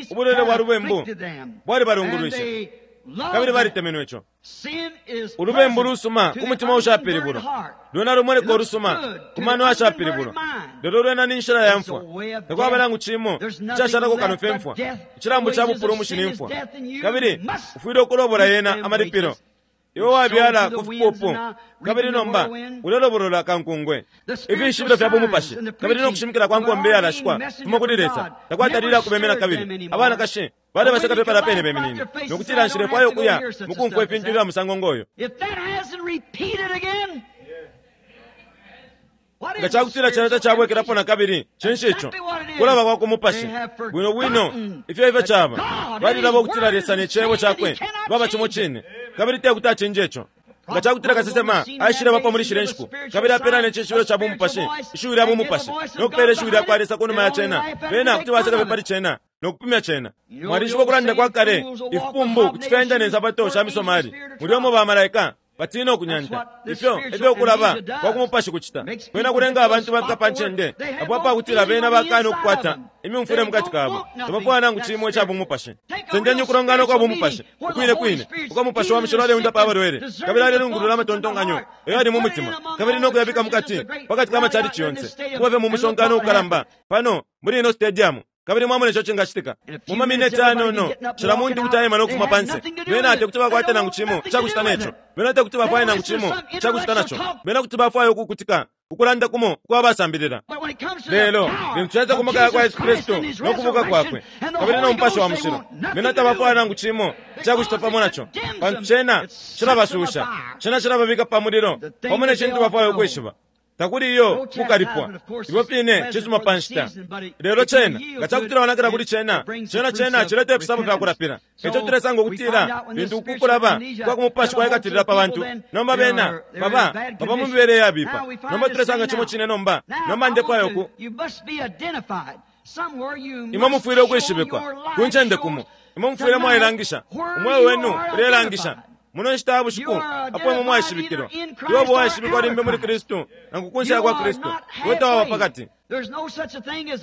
Ubulwele bwa lubembu bwalibalungulwishe, kabili balitemenwe ico. Ulubembu lusuma ku mutima ushapilibulwa, lwena lumoneka ulusuma ku mano ashapilibulwa, lelo lwena ni nshila ya mfwa. Takwaba nangu cimo icashalako kano fye mfwa. Icilambu ca bupulumushi ni mfwa, kabili ufwile ukulobola yena amalipilo. Iwe wabyala ku fipupu, kabili nomba ulelobolola kankungwe. Ifishibilo fya bumupashi kabili no kushimikila kwa nkombe iyalashikwa fuma kuli Lesa takwatalile akubemena kabili. Abanakashi balebaseka pe palya pene beminine no kutila, Nshilefwaya ukuya mu kumfwa ifintu ifya musango ngoyo. Nga cakutila cena tacabwekelapo na kabili, cinshi ico? Kulaba kwa ku mupashi. Bwino bwino ifyo ifyo caba. Balilaba ukutila Lesa ne Cebo Cakwe baba cimo cine, kabili te kuti acinje ico. Nga cakutila kasesema aishilebapo muli shilya nshiku, kabili apela ne cishibilo ca bumupashi, ishiwi lya bumupashi, no kupela ishiwi lya kwa Lesa kunuma ya cena, bena kuti baseka fye pali cena no kupimya cena. Mwalishiba ukulanda kwa kale, ifipumbu kuti fyaenda ne nsapato sha misomali, mulya umo bamalaika batina ukunyanta. Ifyo efyo ukulaba kwa ku mupashi kucita. Kwena kulenga abantu bafika pa ncende apo apakutila bena bakana ukukwata imyumfwile mukati kabo. Tabafwaya nangu cimo ica bumupashi. Sendeni ukulongana ukwa bumupashi ukwine kwine, uko Mupashi wa Mushilo aleundapa abalwele, kabili alelungulula amatontonkanyo ayo yali mu mutima, kabili no kuyabika mukati pakati ka macalici yonse, kuba fye mu musonkano ukalamba pano muli ino stadium. Kabili mwamona ico cingacitika mu mamineti ayanono, cila muntu kuti aima no kufuma panse. Bena te kuti bakwate nangu cimo icakucita neco. Bena te kuti bafwaye nangu cimo icakucita naco. Bena kuti bafwaya ukukutika ukulanda kumo ukwa basambilila. Lelo lintu caisa ku maka yakwa Yesu Kristu no kubuka kwakwe kabili no Mupashi wa Mushilo, bena tabafwaya nangu cimo icakucita pamo naco, pantu cena cilabasusha, cena cilababika pa mulilo pamo ne cintu bafwaya ukwishiba. Takuli iyo kukalipwa. Ifyo fine cisuma pa nshita. Lelo cena, nga cakutila wanakila kuli cena, cena cena cileta ifisabo fya kulapila. Eco tulesanga ukutila, lintu uku kulaba kwa ku mupashi kwaikatilila pa bantu, nomba bena baba, baba mu mibele iyabipa. Nomba tulesanga cimo cine nomba. Nomba ndefwaya uku. Imwe mufwile ukwishibikwa ku ncende kumo. Imwe mufwile mwailangisha. Umweo wenu ulelangisha. Muno nshita ya bushiku, apo imwe mwaishibikilwa, iwe ubo waishibikwa limbi muli Kristu nangu kunse ya kwa Kristu, iwe tawaba pakati.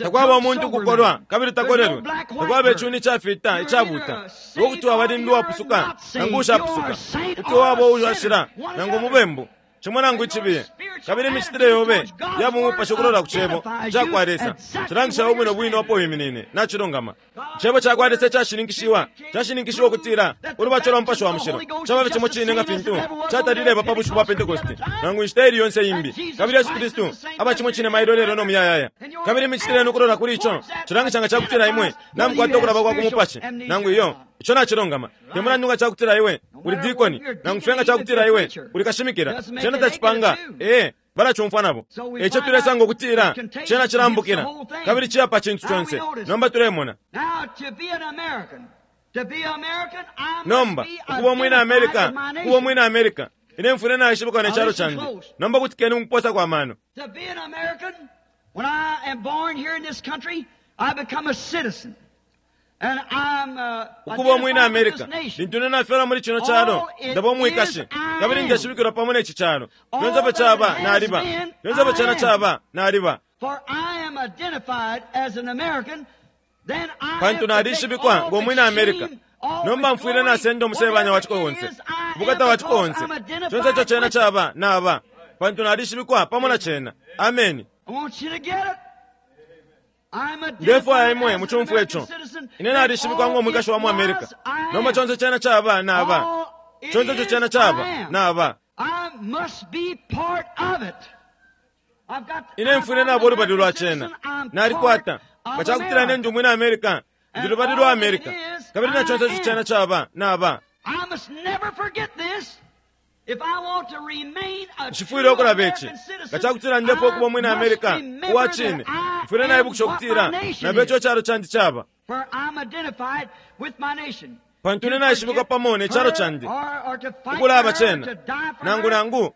Takwaba umuntu ukukolwa kabili takolelwe. Takwaba icuni icafita icabuta. Iwe kuti waba limbi uwapusuka nangu ushapusuka. Kuti waba uwashila nangu umubembu, cimo nangu icibiye. Kabili imicitile yobe ya bumupashi ukulola ku Cebo cakwa Lesa cilangisha ubwino bwino apo wiminine. Nacilungama. Icebo cakwa Lesa icashininkishiwa, cashininkishiwa ukutila ulubatisho lwa Mupashi wa Mushilo caba fye cimo cine nga fintu catalileba pa bushiku bwa Pentekoste nangu inshita ili yonse imbi. Kabili Yesu Kristu aba cimo cine mailo, lelo, no muyayaya. Kabili imicitile yenu ukulola kuli ico cilangisha nga cakutila imwe namukwata ukulaba kwa ku mupashi nangu iyo. Ico nacilungama. Te mulandu nga cakutila iwe uli dikoni, nangu fye nga cakutila iwe uli kashimikila, cena tacipanga. Ee, balacumfwa nabo. Eico tulesanga ukutila cena cilambukila kabili ciya pa cintu conse. Nomba tulemona. Nomba, ukuba umwina America, ukuba umwina America, ine mfwile naishibikwa ne calo candi. Nomba kutikeni mukuposa kwa mano. To be an American, when I am born here in this country, I become a citizen. Ukuba umwina America, lintu ine nafyalwa muli cino calo, ndaba umwikashi, kabili ndeshibikilwa pamo ne ci calo. Fyonse ifyo caba, naliba. Fyonse ifyo cena caba, naliba. Pantu nalishibikwa ngo mwina America. Nomba mfwile nasenda umusebanya wa ciko onse, ubukata wa ciko onse. Conse ico cena caba, naba. Pantu nalishibikwa pamo na cena. Ameni. Ndefwaya imwe mucumfwe ico. Ine nalishibikwa ngo mwikashi wa mu America. Nomba conse cena caba, naba. Conse ico cena caba, naba. Ine mfwile naba ulubali lwa cena. Nalikwata. Nga cakutila ine ndi umwina America, ndi lubali lwa America. Kabili na conse ico cena caba, naba. Nshifwile ukulaba ici. Nga cakutila ndefwaya ukuba umwina America uwa cine, mfwile naibukisha ukutila naba ico icalo candi caba. Pantu ine naishibikwa pamo ne calo candi, ukulaba cena, nangu nangu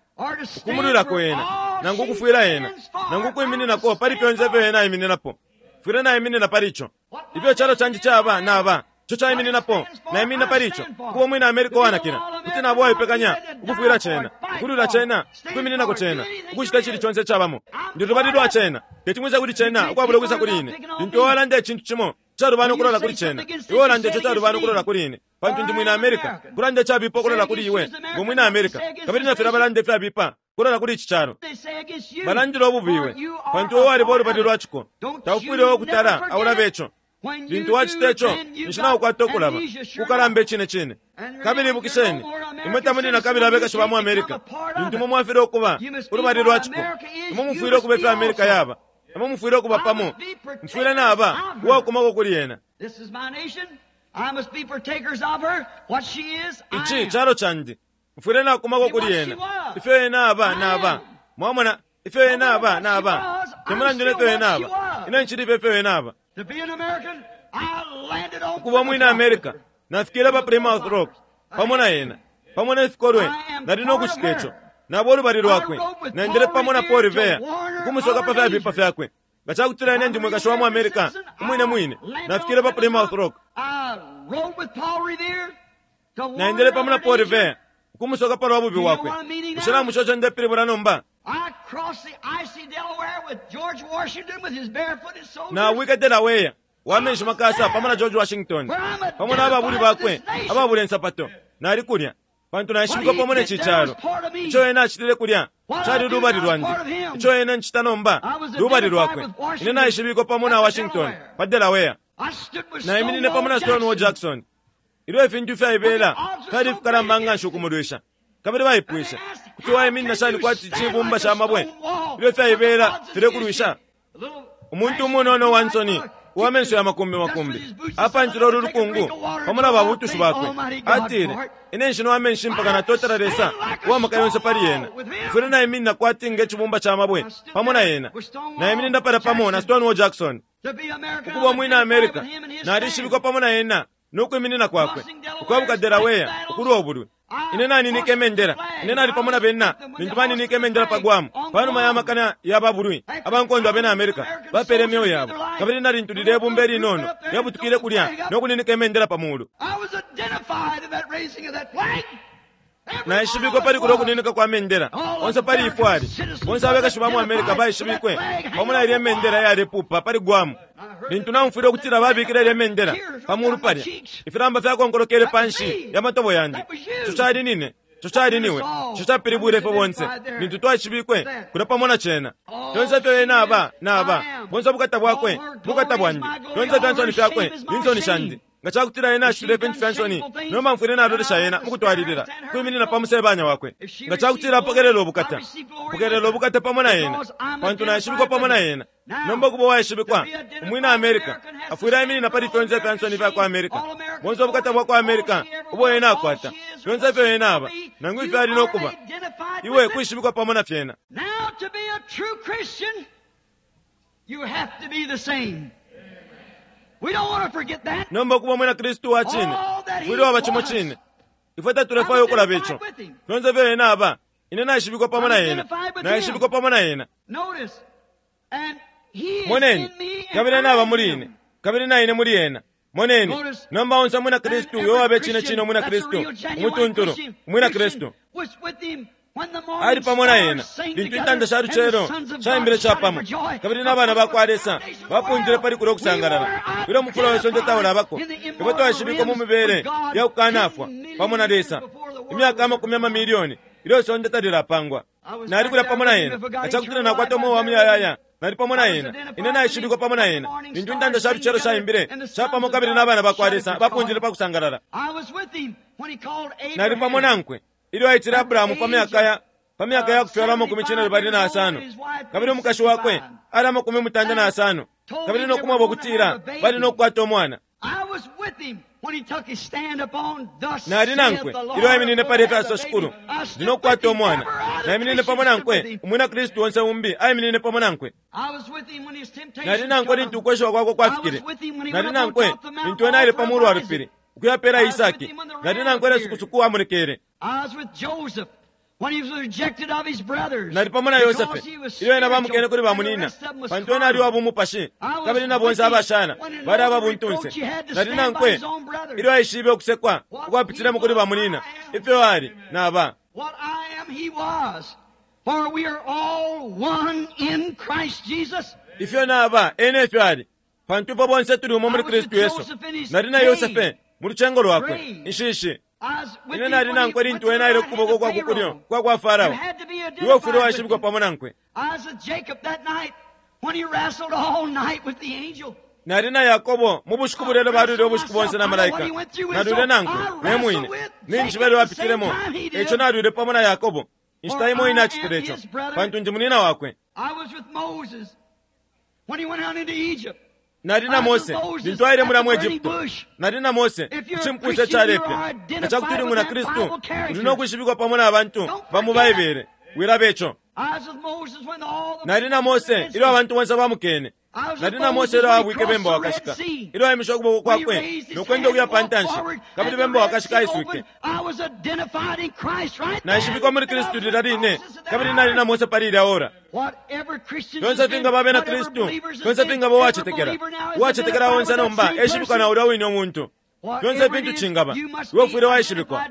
ukumulwilako ena, nangu ukufwila ena, nangu ukwimininako pali fyonse ifyo ena aimininapo. Mfwile naiminina pali ico. Ifyo icalo candi caba, naba. Ico caimininapo, naiminina pali ico. Kuba umwina America uwanakila, kuti nabo uwaipekanya ukufwila cena, ukulwila cena, ukwimininako cena, ukucita icili conse icabamo. Ndi lubali lwa cena. Teti mwise kuli cena ukwabula ukwisa kuli ine. Lintu iwe walanda icintu cimo calubana ukulola kuli cena, iwe walanda ico calubana ukulola kuli ine, pantu ndi mwina America. Kulanda icabipa ukulola kuli iwe ngo mwina America, kabili na filya balanda ifyabipa kulola kuli ici calo. Balandile ububi iwe, pantu iwe waliba ulubali lwa ciko. Taufwile iwe ukutala aulaba ico. Lintu wacita ico, ninshi naukwata ukulaba kukalamba icine cine. Kabili ibukisheni, imwe tamuli na kabili abekashi ba mu America. Lintu imwe mwafilwa ukuba ulubali lwa ciko, imwe mufwile ukuba ifyo America yaba. Imwe mufwile ukuba pamo. Mfwile naba uwakumako kuli yena. Ici calo candi. Mfwile nakumako kuli yena. Ifyo yena aba, naba. Mwamona, ifyo yena aba, naba. Te mulandu ne fyo yena aba, ine ncili fye ifyo yena aba. Ukuba umwina America, nafikile pa Plymouth Rock pamo na yena, pamo ne fikolwe, nali no kucita ico. Naba ulubali lwakwe, naendele pamo na Paul Revere ukumusoka pa fyabipa fyakwe. Nga cakutila ine ndi mwikashi wa mu America umwine mwine, nafikile pa Plymouth Rock. Naendele pamo na Paul Revere ukumusoka pa lwa bubi bwakwe. Bushe namusha ico ndepilibula nomba? Nawike Delaware wa menshi makasa pamo na George Washington, pamo na ababuli bakwe ababula insapato. Nali kulya pantu naishibikwa pamo ne ci calo. Ico ena acitile kulya cali lubali lwandi. Ico ena ncita nomba lubali lwakwe. Ine naishibikwa pamo na Washington pa Delaware. Naiminine pamo na Stonewall Jackson ilyo ifintu ifyaibela fyali ifikalamba nga nshi ukumulwisha. Kabili baipwishe, kuti waiminina shani kwati cibumba ca mabwe ilyo ifyaibela filekulwisha? Umuntu umunono wa nsoni uwa menso ya makumbi makumbi apantile ulu lukungu pamo na babutushi bakwe. Atile, ine nshinwa amenshi mpaka natotela Lesa uwa maka yonse pali yena. Mfwile naiminina kwati nge cibumba ca mabwe pamo na yena. Naiminina palya pamo na Stonewall Jackson. Ukuba umwina America, nalishibikwa pamo na yena no kwiminina kwakwe ukwabuka Delaware ukulwa ubulwi. Ine naninike imendela. Ine nali pamo na bena lintu baninike imendela pa Guam panuma ya makana ya babulwi abankondo abena America bapeele imyeo yabo, kabili na lintu lilya ibumba ilinono lyabutukile kulya no kuninika imendela pa mulu. Naishibikwe pali kulya ukuninika kwa mendela onse pali ifwali. Bonse abekashi ba mu America baishibikwe pamo na ilya imendela iyalepupa pali Guam. Lintu naumfwile ukutila babikile ilya mendela pa mulu palya, ifilamba fyakonkolokele panshi ya matobo yandi. Ico cali nine, ico cali niwe, ico capilibwile ifwe bonse lintu twaishibikwe kulya pamo na cena. Fyonse ifyo ena aba, naba. Bonse ubukata bwakwe, bukata bwandi. Fyonse ifya nsoni fyakwe, ni nsoni shandi. Nga cakutila ena acitile ifintu fya nsoni, nomba mfwile nalolesha ena mukutwalilila ukwiminina pa musebanya wakwe. Nga cakutila apokelela ubukata, pokelela ubukata pamo na ena, pantu naishibikwa pamo na ena. Nomba ukuba uwaishibikwa, umwina America afwile aiminina pali fyonse ifya nsoni ifya kwa America. Bonse ubukata bwa kwa America ubo ena akwata, fyonse ifyo ena aba, nangu ifyo ali no kuba, iwe kwishibikwa pamo na fyena. Now to be a true Christian, you have to be the same. We don't want to forget that. Nomba ukuba umwina Kristu wa cine, ufwile waba cimo cine. Ifwe tatulefwaya ukulaba ico. Fyonse ifyo ena aba, ine naishibikwa pamo na ena, naishibikwa pamo na ena. Notice, and he is Moneni, in me and kabili I ena aba in muli him. ine, kabili na ine muli ena. Moneni, nomba onse umwina Kristu uyo wabe cine cine umwina Kristu, umutuntulu, umwina Kristu. Ali pamo na ena lintu intanda sha lucelo shaimbile capamo, kabili na bana bakwa Lesa bapundile pali kulya ukusangalala. Ilyo umufula we sonde taulabako, ifwe twaishibikwa mu mibele ya kukanafwa pamo na Lesa imyaka amakumi amamilioni ilyo isonde talilapangwa. Nali kulya pamo na ena, nga cakutila nakwata umweo wa muyayaya, nali pamo na ena. Ine naishibikwa pamo na ena lintu intanda sha lucelo shaimbile capamo, kabili na bana bakwa Lesa bapundile pa kusangalala. Nali pamo nankwe ilyo aitile Abrahamu pa myaka ya pa myaka ya kufyalwa 75, kabili umukashi wakwe ali 95, kabili no kumweba ukutila bali no kukwata umwana. Nali nankwe ilyo aiminine pali efyo Shikulu, ndi no kukwata umwana. Naiminine pamo nankwe, umwina Kristu onse umbi aiminine pamo nankwe. Nali nankwe lintu ukweshiwa kwakwe kwafikile. Nali nankwe lintu ena aile pa mulu wa lupili ukuyapela Isaki. Nali nankwe ilyo sukusuku amulekele. Nali pamo na Yosefe ilyo ena bamukene kuli bamunina, pantu ena ali wa bumupashi, kabili na bonse abashala bali ababuntunse. Nali nankwe ilyo aishibe ukusekwa ukwapitilemo kuli bamunina, ifyo ali naba. Ifyo naba ena efyo ali, pantu ifwe bonse tuli umo muli Kristu Yesu. Nali na Yosefe mu lucengo lwakwe inshishi. Ine nali nankwe lintu ena aile kukuboko kwa kukulyo kwa kwa Farao. Iwe ufwile waishibikwa pamo nankwe. Nali na Yakobo mu bushiku bulelo balwile ubushiku bonse na malaika. Nalwile nankwe ne mwine ninshi belo bapitilemo, eco nalwile pamo na Yakobo inshita imo ine acitile ico, pantu ndi munina wakwe. Nali na Mose lintu aile mulya mu Egypto. Nali na Mose ku cimpusa icalepya. Nga ca kuti uli mwina Kristu, uli no kwishibikwa pamo na bantu ba mu Baibele. Wilaba ico. Nali na Mose ilyo abantu bonse bamukene. Nali na Mose ilyo aabwike bemba wakashika, ilyo aimishe ukuboko kwakwe no kwenda ukuya pa ntanshi, kabili bemba wakashika aiswike. Naishibikwa muli Kristu lilya line, kabili nali na Mose pali ilya ora. Fyonse fingaba abena Kristu, fyonse fingaba uwacetekela, uwacetekela onse nomba eshibikwa na ulya wine umuntu. Fyonse fintu cingaba, iwe ufwile waishibikwa.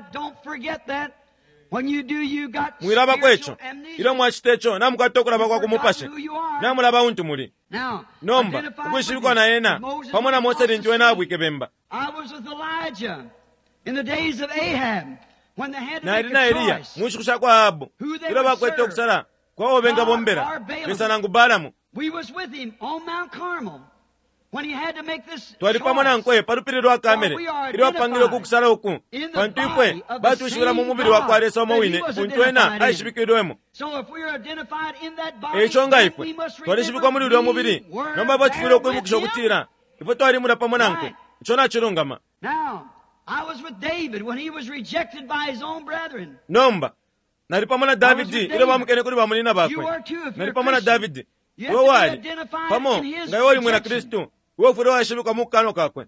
Mwilabako ico. Ilyo mwacita ico, namukwata ukulaba kwa ku mupashi, namulaba untu muli. Nomba ukwishibikwa na ena pamo na Mose lintu ena abwike bemba. Nali na Eliya mu nshiku sha kwa Ahabu ilyo bakwete ukusala kwa uo bengabombela, Lesa nangu Balamu. Twali pamo nankwe pa lupili lwa Kamele ilyo apangile uku kusala uku, pantu ifwe batwishibila mu mubili wa kwa Lesa umo wine untu ena aishibikilwemo. Eico nga ifwe twalishibikwa muli ulya mubili, nomba ifwe tufwile ukwibukisha ukutila ifwe twalimula pamo nankwe. Ico nacilungama. Nomba nali pamo na Davidi ilyo bamukene kuli bamunina bakwe. Nali pamo na Davidi. Iwe wali pamo nga iwe uli mwina Kristu, iwe ufwile waishibikwa mu kukanwa kakwe.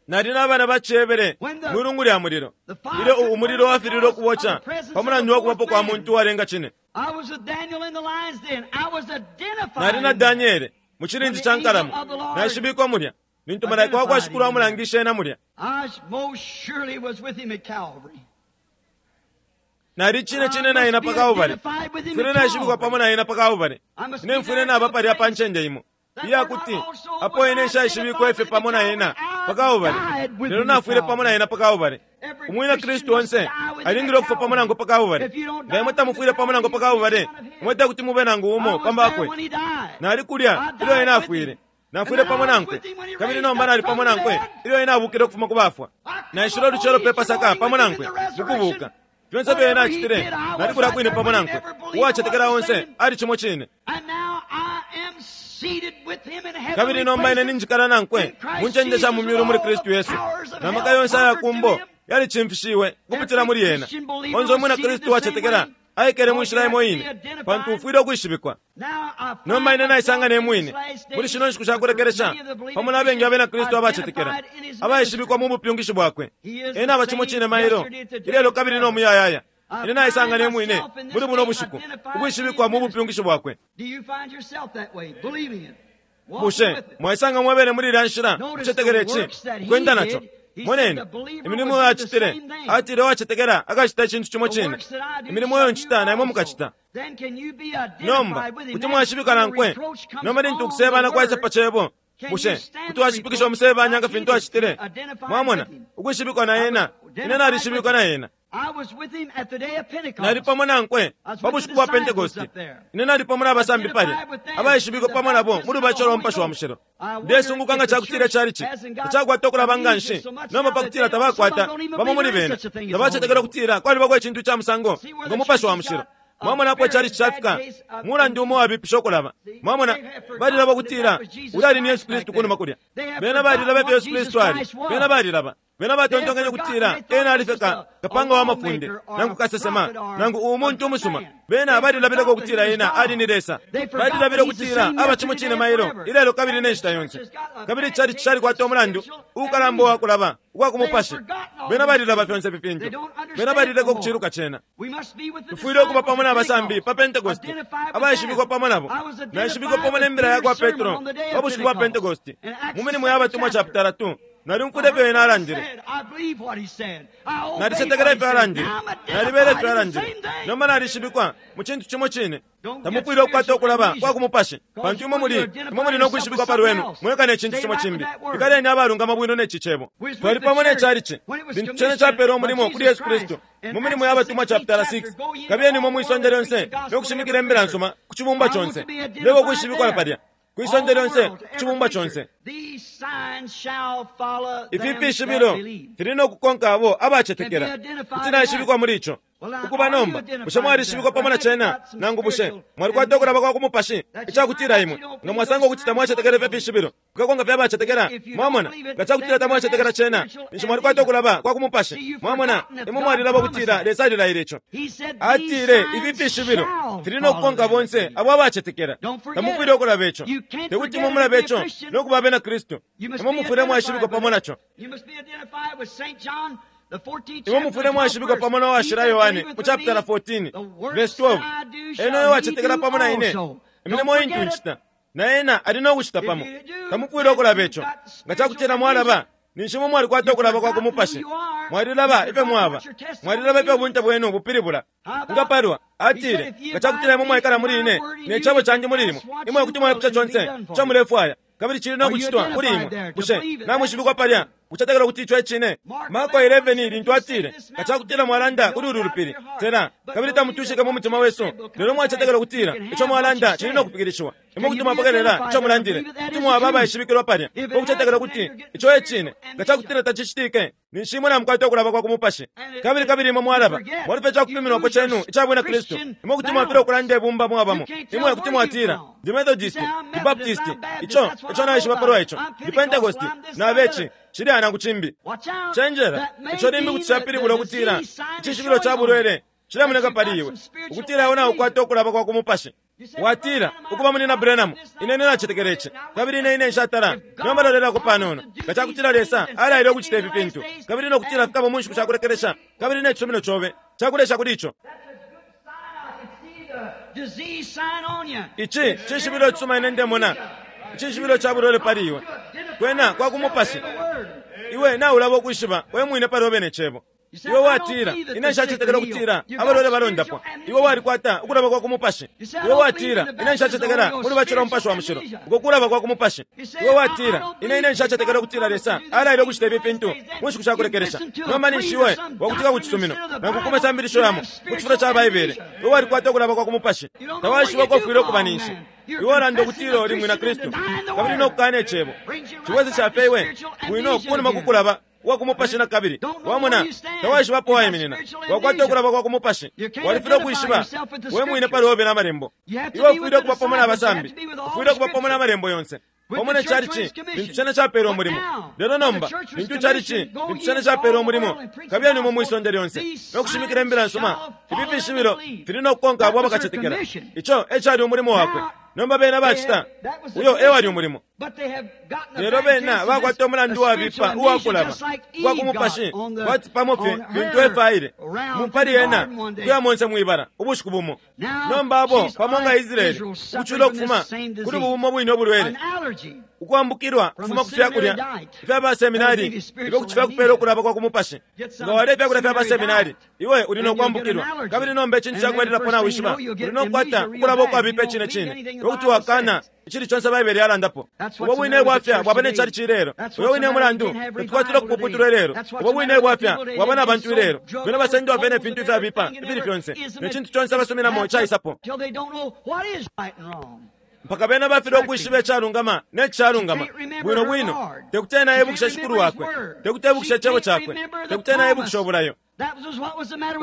Nali na bana ba ciHebere mwi lungu lya mulilo ilyo umulilo wafililwe ukuboca pa mulandu wa kubapo kwa muntu uwalenga cine. Nali na Daniele mu cilindi ca nkalamo, naishibikwa mulya lintu malaika wa kwa Shikulu amulangishe ena mulya. Nali cine cine na ena pa Kalbale. Mfwile naishibikwa pamo na ena pa Kalbale. Ine mfwile naba palya pa ncende imo iya kuti apo ine nshaishibikwe fye pamo na ena pa Kalbale, lelo nafwile pamo na ena pa Kalbale. Umwina Kristu onse alingile ukufwa pamo nankwe pa Kalbale. Nga imwe tamufwile pamo nankwe pa Kalbale, imwe te kuti mube nangu umo pambakwe. Nali kulya ilyo ena afwile. Nafwile pamo nankwe, kabili nomba nali pamo nankwe ilyo ena abukile ukufuma ku bafwa. Naishile ulucelo pe Pasaka pamo nankwe mukubuka. Fyonse ifyo ena acitile, nali kulya kwine pamo nankwe. Uwacetekela onse ali cimo cine. Kabili nomba ine ninjikala nankwe mu ncende sha mu myulu muli Kristu Yesu, na maka yonse aya kumbo yalicimfishiwe ukupitila muli ena. Onse umwina Kristu uwacetekela aikele mu nshila imo ine, pantu ufwile ukwishibikwa. Nomba ine naisanga ne mwine muli shino nshiku sha kulekelesha pamo na bengi abena Kristu abacetekela abaishibikwa mu bupyungishi bwakwe. Ena aba cimo cine mailo, ilelo kabili no muyayaya. Ine naisanga ne mwine muli buno bushiku ukwishibikwa mu bupyungishi bwakwe. Bushe mwaisanga mwebene muli ilya nshila, ukucetekela ici, ukwenda naco? Moneni imilimo iyo acitile. Atile uwacetekela akacita icintu cimo cine. Imilimo iyo ncita na imwe mukacita. Nomba kuti mwashibika nankwe. Nomba lintu ukusebana kwaisa pa Cebo, bushe kuti washipikisha umusebanya nga fintu acitile? Mwamona, ukwishibikwa na ena. Ine nalishibikwa na ena. Nali pamo nankwe pa bushiku bwa Pentekoste. Ine nali pamo na basambi palya, abaishibikwe pamo nabo mu lubatisho lwa Mupashi wa Mushilo. Ndesunguka nga cakutila icalici tacakwata ukulaba nganshi nomba pakutila tabakwata, bamo muli bena tabacetekela ukutila kwalibako icintu ica musango ngo Mupashi wa Mushilo. Mwamona apo icalici cafika? Mulandu umo wabipisha ukulaba. Mwamona, balilaba ukutila ulya ali ni Yesu Kristu kunuma kulya. Bena balilaba ifyo Yesu Kristu ali. Bena balilaba. Bena batontonkenye ukutila ena ali fye ka, kapanga wa mafunde, nangu kasesema, nangu umuntu umusuma. Bena balilabileko ukutila ena ali ni Lesa. Balilabile ukutila aba cimo cine mailo, ilelo kabili ne nshita yonse. Kabili icalici calikwata umulandu uukalamba uwa kulaba ukwa ku mupashi. Bena balilaba fyonse ifi fintu. Bena balileka ukuciluka cena. Tufwile ukuba pamo na basambi pa Pentekoste, abaishibikwa pamo nabo. Naishibikwa pamo ne mbila ya kwa Petro pa bushiku bwa Pentekoste, mu Milimo ya Batumwa chapitala 2. Nalyumfwile ifyo ena alandile. Nalicetekela ifyo alandile. Nalibele ifyo alandile. Nomba nalishibikwa mu cintu cimo cine. Tamufwile ukukwata ukulaba kwa ku mupashi, pantu imwe muli, imwe muli no kwishibikwa pa lwenu mweka ne cintu cimo cimbi. Ikaleni abalungama bwino ne ci Cebo. Twali pamo ne chalichi lintu cene capeelwe umulimo kuli Yesu Kristu mu Milimo ya Batumwa chapitala 6. Kabiyeni imwe mwi sonde lyonse no kushimikila imbila nsuma ku cibumbwa conse. Ndeba ukwishibikwa palya. Kwi sonde lyonse, ku cibumbwa conse. Ifi fishibilo fili no kukonka abo abacetekela. Kuti naishibikwa muli ico. Ukuba nomba, bushe mwalishibikwa pamo na cena, nangu bushe mwalikwata ukulaba kwa ku mupashi ica kutila imwe nga mwasanga ukuti tamwacetekela ifyo fishibilo fikakonka fye abacetekela? Mwamona, nga ca kutila tamwacetekela cena, ninshi mwalikwata ukulaba kwa ku mupashi. Mwamona, imwe mwalilaba ukutila Lesa alilaile ico. Atile ifi fishibilo fili no kukonka bonse abo abacetekela. Tamufwile ukulaba ico. Te kuti imwe mulabe ico no kuba Abena Kristu. Imwe mufwile mwaishibikwa pamo na co. Imwe mufwile mwaishibikwa pamo na Washila Yohane mu chapitala 14 verse 12. Ena uyo wacetekela pamo na ine, imilimo intu ncita, na ena ali no kucita pamo. Tamufwile ukulaba ico. Nga ca kutila mwalaba, ninshi imwe mwalikwata ukulaba kwa ku mupashi. Mwalilaba ifyo mwaba. Mwalilaba ifyo ubunte bwenu bupilibula. Nga palwa, atile, nga ca kutila imwe mwaikala muli ine, ne cebo candi muli imwe, imwe kuti mwaipusha conse ico mulefwaya, kabili cili no kucitwa kuli imwe. Bushe namwishibikwa palya? Ukucetekela ukuti ico e cine. Marko 11, lintu atile, Nga ca kutila mwalanda kuli ulu lupili, Sela, kabili tamutwishike mu mutima wesu, lelo mwacetekela ukutila ico mwalanda cili no kufikilishiwa, imwe kuti mwapokelela ico mulandile. Kuti mwaba abaishibikilwa palya, pa kucetekela ukuti ico e cine. Nga ca kutila tacicitike, ninshi imwe namukwata ukulaba kwa ku mupashi. Kabili, kabili imwe mwalaba, mwalufya ica kupiminwako cenu ica Bwina Kristu. Imwe kuti mwafilwa ukulanda ibumba mwabamo. Imwe kuti mwatila, Ndi Methodist, ndi Baptist, ico eco naishiba palwa ico. Ndi Pentecost, nabe ci, cilya nangu cimbi. Cenjela, ico limbi kuti capilibula ukutila icishibilo ca bulwele cilemoneka pali iwe, ukutila iwe naukwata ukulaba kwa ku mupashi. Watila, Ukuba, Munyina Branham, ine, ine nacetekela ici, kabili ine, ine nshatala. Nomba lolelako panono. Nga cakutila Lesa alaile ukucita ifi fintu, kabili no kutila fikaba mu nshiku sha kulekelesha, kabili ne cisumino cobe cakulesha kuli ico. Ici cishibilo icisuma ine ndemona, icishibilo ca bulwele pali iwe. Kwena kwa ku mupashi. Iwe naulaba ukwishiba we mwine pali obe ne Cebo. Iwe watila, Ine nshacetekela ukutila abalwele balondapwa. Iwe walikwata ukulaba kwa ku mupashi. Iwe watila, Ine nshacetekela muli bacila Umupashi wa Mushilo. Uko kulaba kwa ku mupashi. Iwe watila, Ine, ine nshacetekela ukutila Lesa alaile ukucita ifi fintu mu nshiku sha kulekelesha. Nomba ninshi iwe wakutika ku cisumino nangu ku masambilisho yamo mu cifulo ca Baibele. Iwe walikwata ukulaba kwa ku mupashi. Tawaishiba uko ufwile ukuba ninshi. Iwe ulanda ukutila uli mwina Kristu kabili no kukana Icebo. Cibwesesha fye iwe bwino kunuma ku kulaba uwa ku mupashi na kabili. Wamona, tawaishiba apo waiminina. Wakwata ukulaba kwa ku mupashi. Walifile ukwishiba we mwine pali obe na Malembo. Iwe ufwile ukuba pamo na basambi. Ufwile ukuba pamo na Malembo yonse. Pamo ne chalichi, lintu cena capeelwe umulimo. Lelo nomba, lintu chalichi, lintu cena capeelwe umulimo, kabiyeni imwe mwi sonde lyonse, no kushimikila Imbila nsuma, ifi fishibilo fili no kukonka abo abakacetekela. Ico e cali umulimo wakwe. Nomba bena bacita. Uyo e wali umulimo. Lelo bena bakwata umulandu wabipa uwakulaba uwa ku mupashi, kwati pamo fye lintu Efa aile pali ena ukuya monse mwibala ubushiku bumo. Nomba abo pamo nga Israele ukucula ukufuma kuli bumo bwine ubulwele, ukwambukilwa kufuma ku fyakulya ifya baseminari ifyo kuti fyakupela ukulaba kwa ku mupashi. Nga walya ifyakulya fya baseminari, iwe uli no kwambukilwa, kabili nomba icintu cakubalilapo nawishiba, uli no kukwata ukulaba ukwabipa icine cine, ifyo kuti wakana icili conse Baibele yalandapo. Ubo bwine bwafya bwaba ne chalichi ilelo. Uyo wine mulandu tatukwatila ukupuputulwa ilelo. Ubo bwine bwafya bwaba na bantu ilelo. Bena basendwa fye ne fintu ifyabipa ifili fyonse, ne cintu conse abasuminamo caisapo, mpaka bena bafilwa ukwishiba icalungama ne cishalungama bwino bwino. Tekuti ena ebukishe Shikulu wakwe, tekuti ebukishe icebo cakwe, tekuti ena ebukishe ubulayo.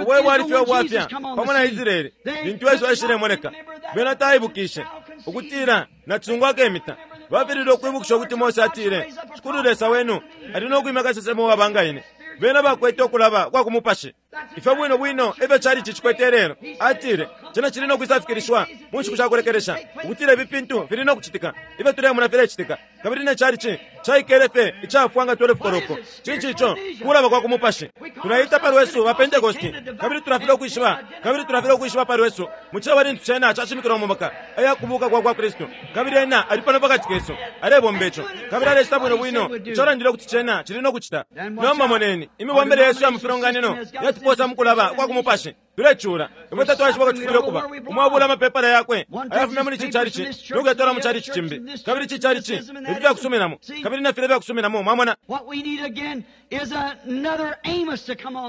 Ubo ebwali fye ubwafya pamo na Israele lintu Yesu aishilemoneka. Bena taibukishe ukutila nacisungu akemita. Bafililwe ukwibukisha ukuti Mose atile, Shikulu Lesa wenu ali no kwimya kasesema uwaba nga ine. Bena bakwete ukulaba kwa ku mupashi. Ifyo bwino bwino efyo chalichi cikwete ilelo. Atile, Cena cili no kwisafikilishiwa mu nshiku sha kulekelesha, ukutila ifi fintu fili no kucitika, ifyo tulemona filecitika. Kabili ne chalichi caikele fye icafwa nga 12 koloko. Cinshi ico? Kulaba kwa ku mupashi. Tulaita pa lwesu ba Pentecosti, kabili tulafilwa ukwishiba, kabili tulafilwa ukwishiba pa lwesu mu cebo lintu cena cashimikilwa mu maka aya kubuka kwa kwa Kristu. Kabili Ena ali pano pakati kesu, alebomba ico, kabili alecita bwino bwino ico alandile ukuti cena cili no kucita. Nomba moneni, imibombele yesu ya mu filonganino yatuposa mu kulaba kwa ku mupashi. Tulecula. Ifwe tatwaishiba uko tufwile ukuba. Umo abula amapepala yakwe ayafumya muli ici chalichi no kuyatwala mu chalichi cimbi, kabili ici chalichi, ifi fyakusuminamo, kabili na filya fyakusuminamo. Mwamona?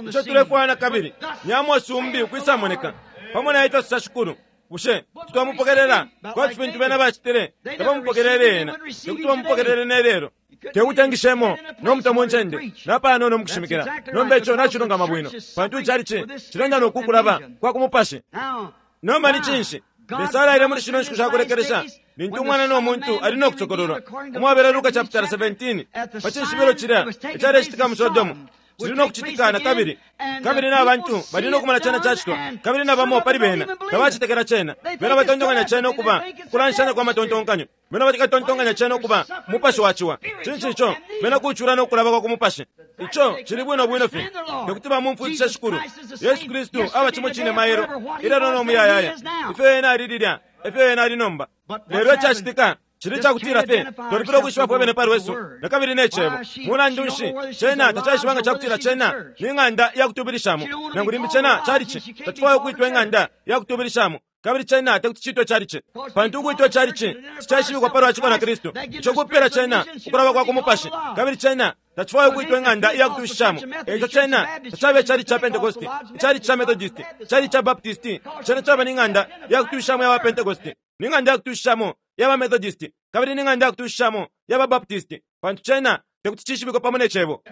Ico tulefwaya na kabili ni Amosi umbi ukwisamoneka pamo na ifyo asosa Shikulu. Bushe kuti twamupokelela kwati fintu bena bacitile? Tabamupokelele ena, tekuti bamupokelele ne lelo. Tekuti engishemo no mutwe mu ncende napanono mukushimikila. Nomba ico nacilungama bwino, pantu icalici cilenda no kukulaba kwa ku mupashi. Nomba ni cinshi? Lesa alaile muli shino nshiku sha kulekelesha, lintu Umwana no muntu ali no kusokololwa, umwabela Luka chapitala 17, pa cishibilo cilya icalecitika mu Sodomu, cili no kucitika na kabili. Kabili na bantu bali no kumona cena cacitwa, kabili na bamo pali bena tabacetekela cena. Bena batontonkanya cena ukuba kulanshanya kwa matontonkanyo. Bena bakatontonkanya cena ukuba umupashi wa ciwa. Cinshi ico? Bena kucula no kulaba kwa ku mupashi. Ico cili bwino bwino fye. Tekuti bamumfwikishe Shikulu. Yesu Kristu aba cimo cine mailo, ilelo no muyayaya. Ifyo Ena ali lilya, efyo Ena ali nomba. Lelo icacitika cili icakutila fye twalipila ukwishiba fwe bene pa lwesu na kabili ne Cebo. Mulandu nshi, cena tacaishiba nga cakutila cena ni ng'anda ya kutubilishamo, nangu limbi cena calici. Tacifwaya ukwitwa ing'anda ya kutubilishamo, kabili cena tekuti ciitwe calici, pantu ukwitwa calici ticaishibikwa palwa ciko na Kristu. Ico kupela cena ukulaba kwa ku mupashi, kabili cena tacifwaya ukwitwa ing'anda iya kutushishamo. Eico cena tacaba icalici ca Pentecosti, icalici ca Methodisti, icalici ca Baptisti. Cena caba ni ng'anda ya kutushishamo ya ba Pentecosti, ni ng'anda ya kutushishamo ya ba Methodisti, kabili ni ng'anda ya kutushishamo ya ba Baptisti, pantu cena tekuti cishibikwe pamo ne Cebo.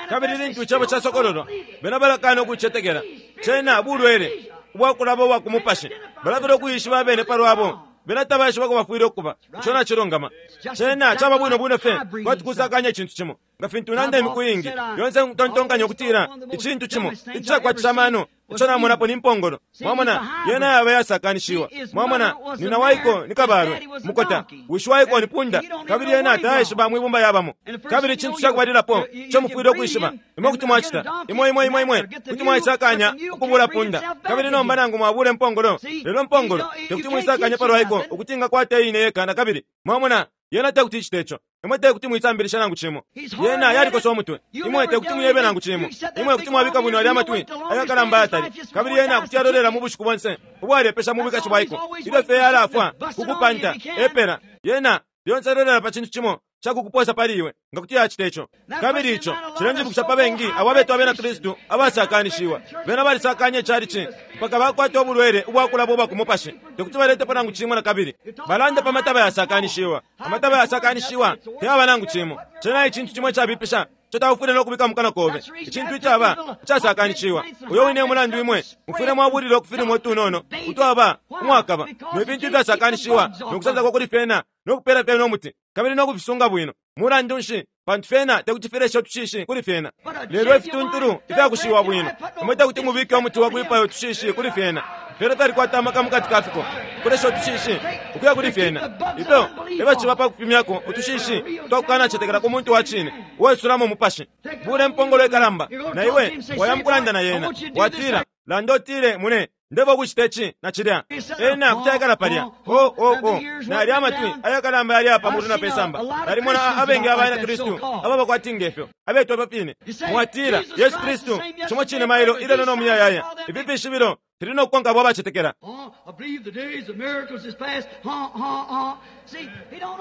Kabili lintu Icebo casokololwa, bena balakana ukucetekela. Cena bulwele ubwakulaba ubwa ku mupashi. Balafilwa ukuishiba abene palwabo. Bena tabaishiba uko bafwile ukuba. Ico nacilungama. Cena caba bwino bwino fye kwati kusakanya icintu cimo. Nga fintu nanda imiku iingi, lyonse ntontonkanya ukutila icintu cimo icakwatisha amano ico namonapo ni mpongolo. Mwamona, yena yaba yasakanishiwa. Mwamona, nina waiko ni kabalwe mukota, wishi waiko ni punda, kabili yena taishiba mwibumba yabamo. Kabili icintu cakubalilapo ico mufwile ukwishiba, imwe kuti mwacita, imwe, imwe, imwe, imwe kuti mwaisakanya ukubula punda. Kabili nomba nangu mwabula impongolo, lelo mpongolo tekuti muisakanye palwaiko ukuti ingakwata iine yeka na kabili. Mwamona, yena tekuti icite ico. Imwe tekuti muisambilisha nangu cimo. Yena yalikosa umutwe. Imwe tekuti muyebe nangu cimo. Imwe kuti mwabika bwino alya amatwi ayakalamba ayatali, kabili yena kuti yalolela mu bushiku bonse ubwalepesha mu bwikashi bwaiko, ilyo fye yalafwa ku kupanta epela. Yena lyonse alolela pa cintu cimo ca kukuposa pali iwe, nga kuti yacita ico. Kabili ico cilenjibukisha pa bengi abo abetwa Abena Kristu abasakanishiwa. Bena balisakanya icalici mpaka bakwata ubulwele ubwakulaba ubwa ku mupashi, tekuti baletepo nangu cimo na kabili. Balanda pa mataba yasakanishiwa. Amataba yasakanishiwa tayaba nangu cimo. Cena icintu cimo icabipisha ico taufwile no kubika mu kanwa kobe, icintu icaba icasakanishiwa. Uyo wine e mulandu imwe mufwile mwabulila ukufilimo utunono utwaba umwakaba ne fintu ifyasakanishiwa no kusansako kuli fyena no kupela fyena umuti kabili no kufisunga bwino. Mulandu nshi? Pantu fyena tekuti fileshe utushishi kuli fyena. Lelo ifituntulu ifyakushiwa bwino, imwe tekuti mubike umuti wa kwipaya utushishi kuli fyena. Fyena fyalikwata amaka mukati ka fiko ukulesha utushishi ukuya kuli fyena. Ifyo efyo ciba pa kupimyako utushishi twa kukanacetekela ku muntu wa cine uwaisulamo Umupashi. Bula impongolo ikalamba, na iwe waya mukulanda na yena. Watila, Landa utile, mune, Ndefwaya ukucita ici na cilya. Ena kuti aikala palya. Oh, oh, oh. Nalya amatwi ayakalamba yali apa mulu na pe samba. Nalimona a, abengi abana Kristu ababa kwati ngefyo, abetwa ifyo fine. Mwatila, Yesu Kristu, cimo cine mailo, ilelo no muyayaya. Ifi fishibilo fili no kukonka abo abacetekela.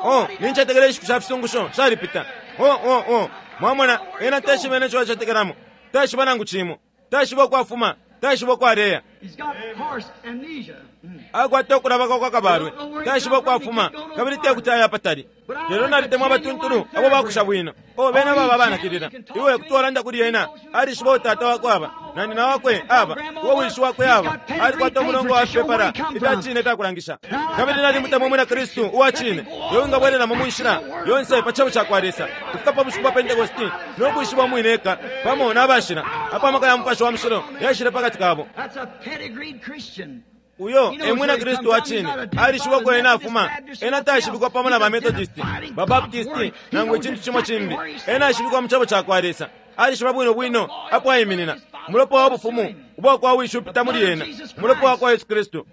Oh, nincetekela inshiku sha fisungusho shalipita. Oh, oh, oh. Mwamona, ena teshibe neco acetekelamo. Taishiba nangu cimo. Taishiba ukwafuma. Taishiba uko aleya. Akwata ukulaba kwa kwa kabalwe. Taishiba uko afuma, kabili te kuti aye apatali. Lelo nalitemwa abatuntulu abo bakusha bwino. Oh, bena baba abanakilila. Iwe kuti walanda kuli ena. Alishiba uo tata wakwe aba, na nyina wakwe aba, uo wishi wakwe aba. Alikwata umulongo wa fipepala ifya cine ifya kulangisha. Kabili nalimutemwa Umwina Kristu uwa cine, uyo wingabwelelamo mu nshila yonse pa Cebo cakwa Lesa, ukufika pa bushiku bwa Pentekoste, no kuishibwa umwine eka pamo na bashila, apo amaka ya Mupashi wa Mushilo yaishile pakati kabo. Uyo e mwina Kristu wa cine. Alishiba uko ena afuma. Ena taishibikwa pamo na ba Methodist, ba Baptist, nangu icintu cimo cimbi. Ena aishibikwa mu Cebo cakwa Lesa. Alishiba bwino bwino apo aiminina. Umulopa wa Bufumu ubwa kwa Wishi upita muli ena, Umulopa wa kwa Yesu Kristu.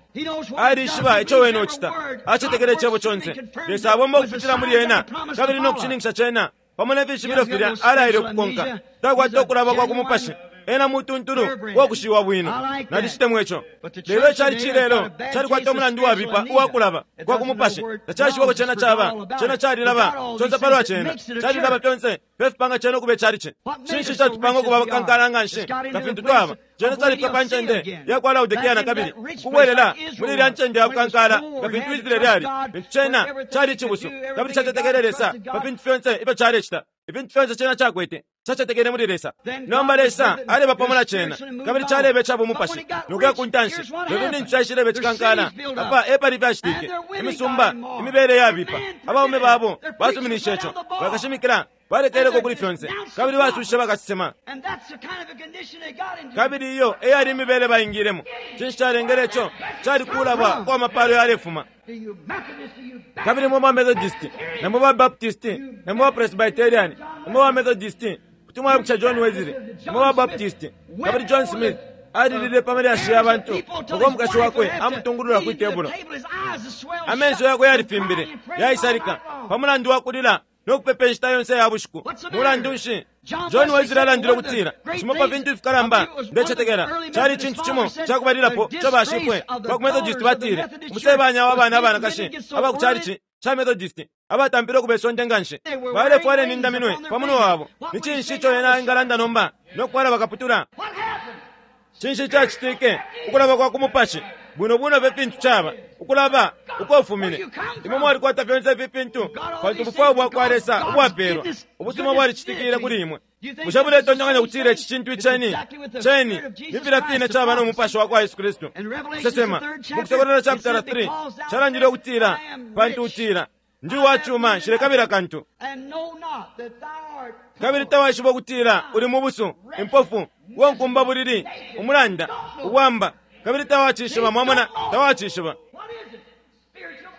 Alishiba ico wene ucita. Acetekela Icebo conse. Lesa abomba ukupitila muli ena, kabili no kushininkisha cena pamo ne fishibilo filya alaile ukukonka. Takwata ukulaba kwa ku mupashi. Ena mutuntulu uwakushiwa bwino. Nalicitemwa ico. Lelo icalici ilelo calikwata umulandu wabipa uwa kulaba kwa ku mupashi. Tacaishiba uko cena caba. Cena calilaba conse palwa cena. Calilaba fyonse ifyo fipanga cena ukuba icalici. Cinshi icatupanga ukuba abakankala nganshi nga fintu twaba? Cena califika pa ncende ya kwa Laodikea nakabili, ukubwelela muli ilya ncende ya bukankala nga fintu Israele ali, lintu cena cali icibusu kabili cacetekele Lesa pa fintu fyonse ifyo calecita. Ifintu fyonse cena cakwete, cacetekele muli Lesa. Nomba Lesa aleba pamo na cena, kabili caleba ica bumupashi no kuya ku ntanshi. Lelo ilintu caishileba icikankala, apa epali ifyacitike, imisumba, imibele yabipa, abaume babo basuminishe ico, bakashimikila balekeleko kuli fyonse, kabili basushishe bakasesema. Kabili iyo e yali imibele baingilemo. Cinshi calengele ico? Cali kulabwa kwa mapalo yalefuma. Kabili mwe ba Methodist, na mwe ba Baptist, na mwe ba Presbyterian, na mwe ba Methodist, kuti mwaibukisha John Wesley, na mwe ba Baptist, kabili John Smith alilile pa malyashi ya bantu uko umukashi wakwe amutungulula kwi tebulo. Amenso yakwe yalifimbile, yaisalika, pa mulandu wa kulila no kupepa inshita yonse ya bushiku. Mulandu nshi? John Wesley alandile ukutila, Cimo pa fintu ifikalamba, ndecetekela, cali icintu cimo ca kubalilapo ico bashifwe ba ku Methodist batile, umusebanya wa bana abanakashi aba ku calici ca Methodist abatampile ukuba isonde nga nshi, balefwala inindaminwe pa munwe wabo. Ni cinshi ico ena engalanda nomba no kufwala bakaputula? Cinshi cacitike? Ukulaba kwa ku mupashi. Bwino bwino fye fintu caba, ukulaba uko ufumine. Imwe mwalikwata fyonse ifi fintu pantu ubufwayo bwa kwa Lesa ubwapeelwa ubusuma bwalicitikile kuli imwe. Bushe muletontonkanya ukutila ici cintu iceni? Ceni ni filya fine caba no mupashi wa kwa Yesu Kristu. Kusesema mu Kusokolola chaputala 3 calandile ukutila, Pantu utila, Ndi uwa cuma, nshilekabila kantu. Kabili tawaishiba ukutila uli mubusu, impofu, uwa nkumbabulili, umulanda, ubwamba, kabili tawacishiba. Mwamona, tawacishiba.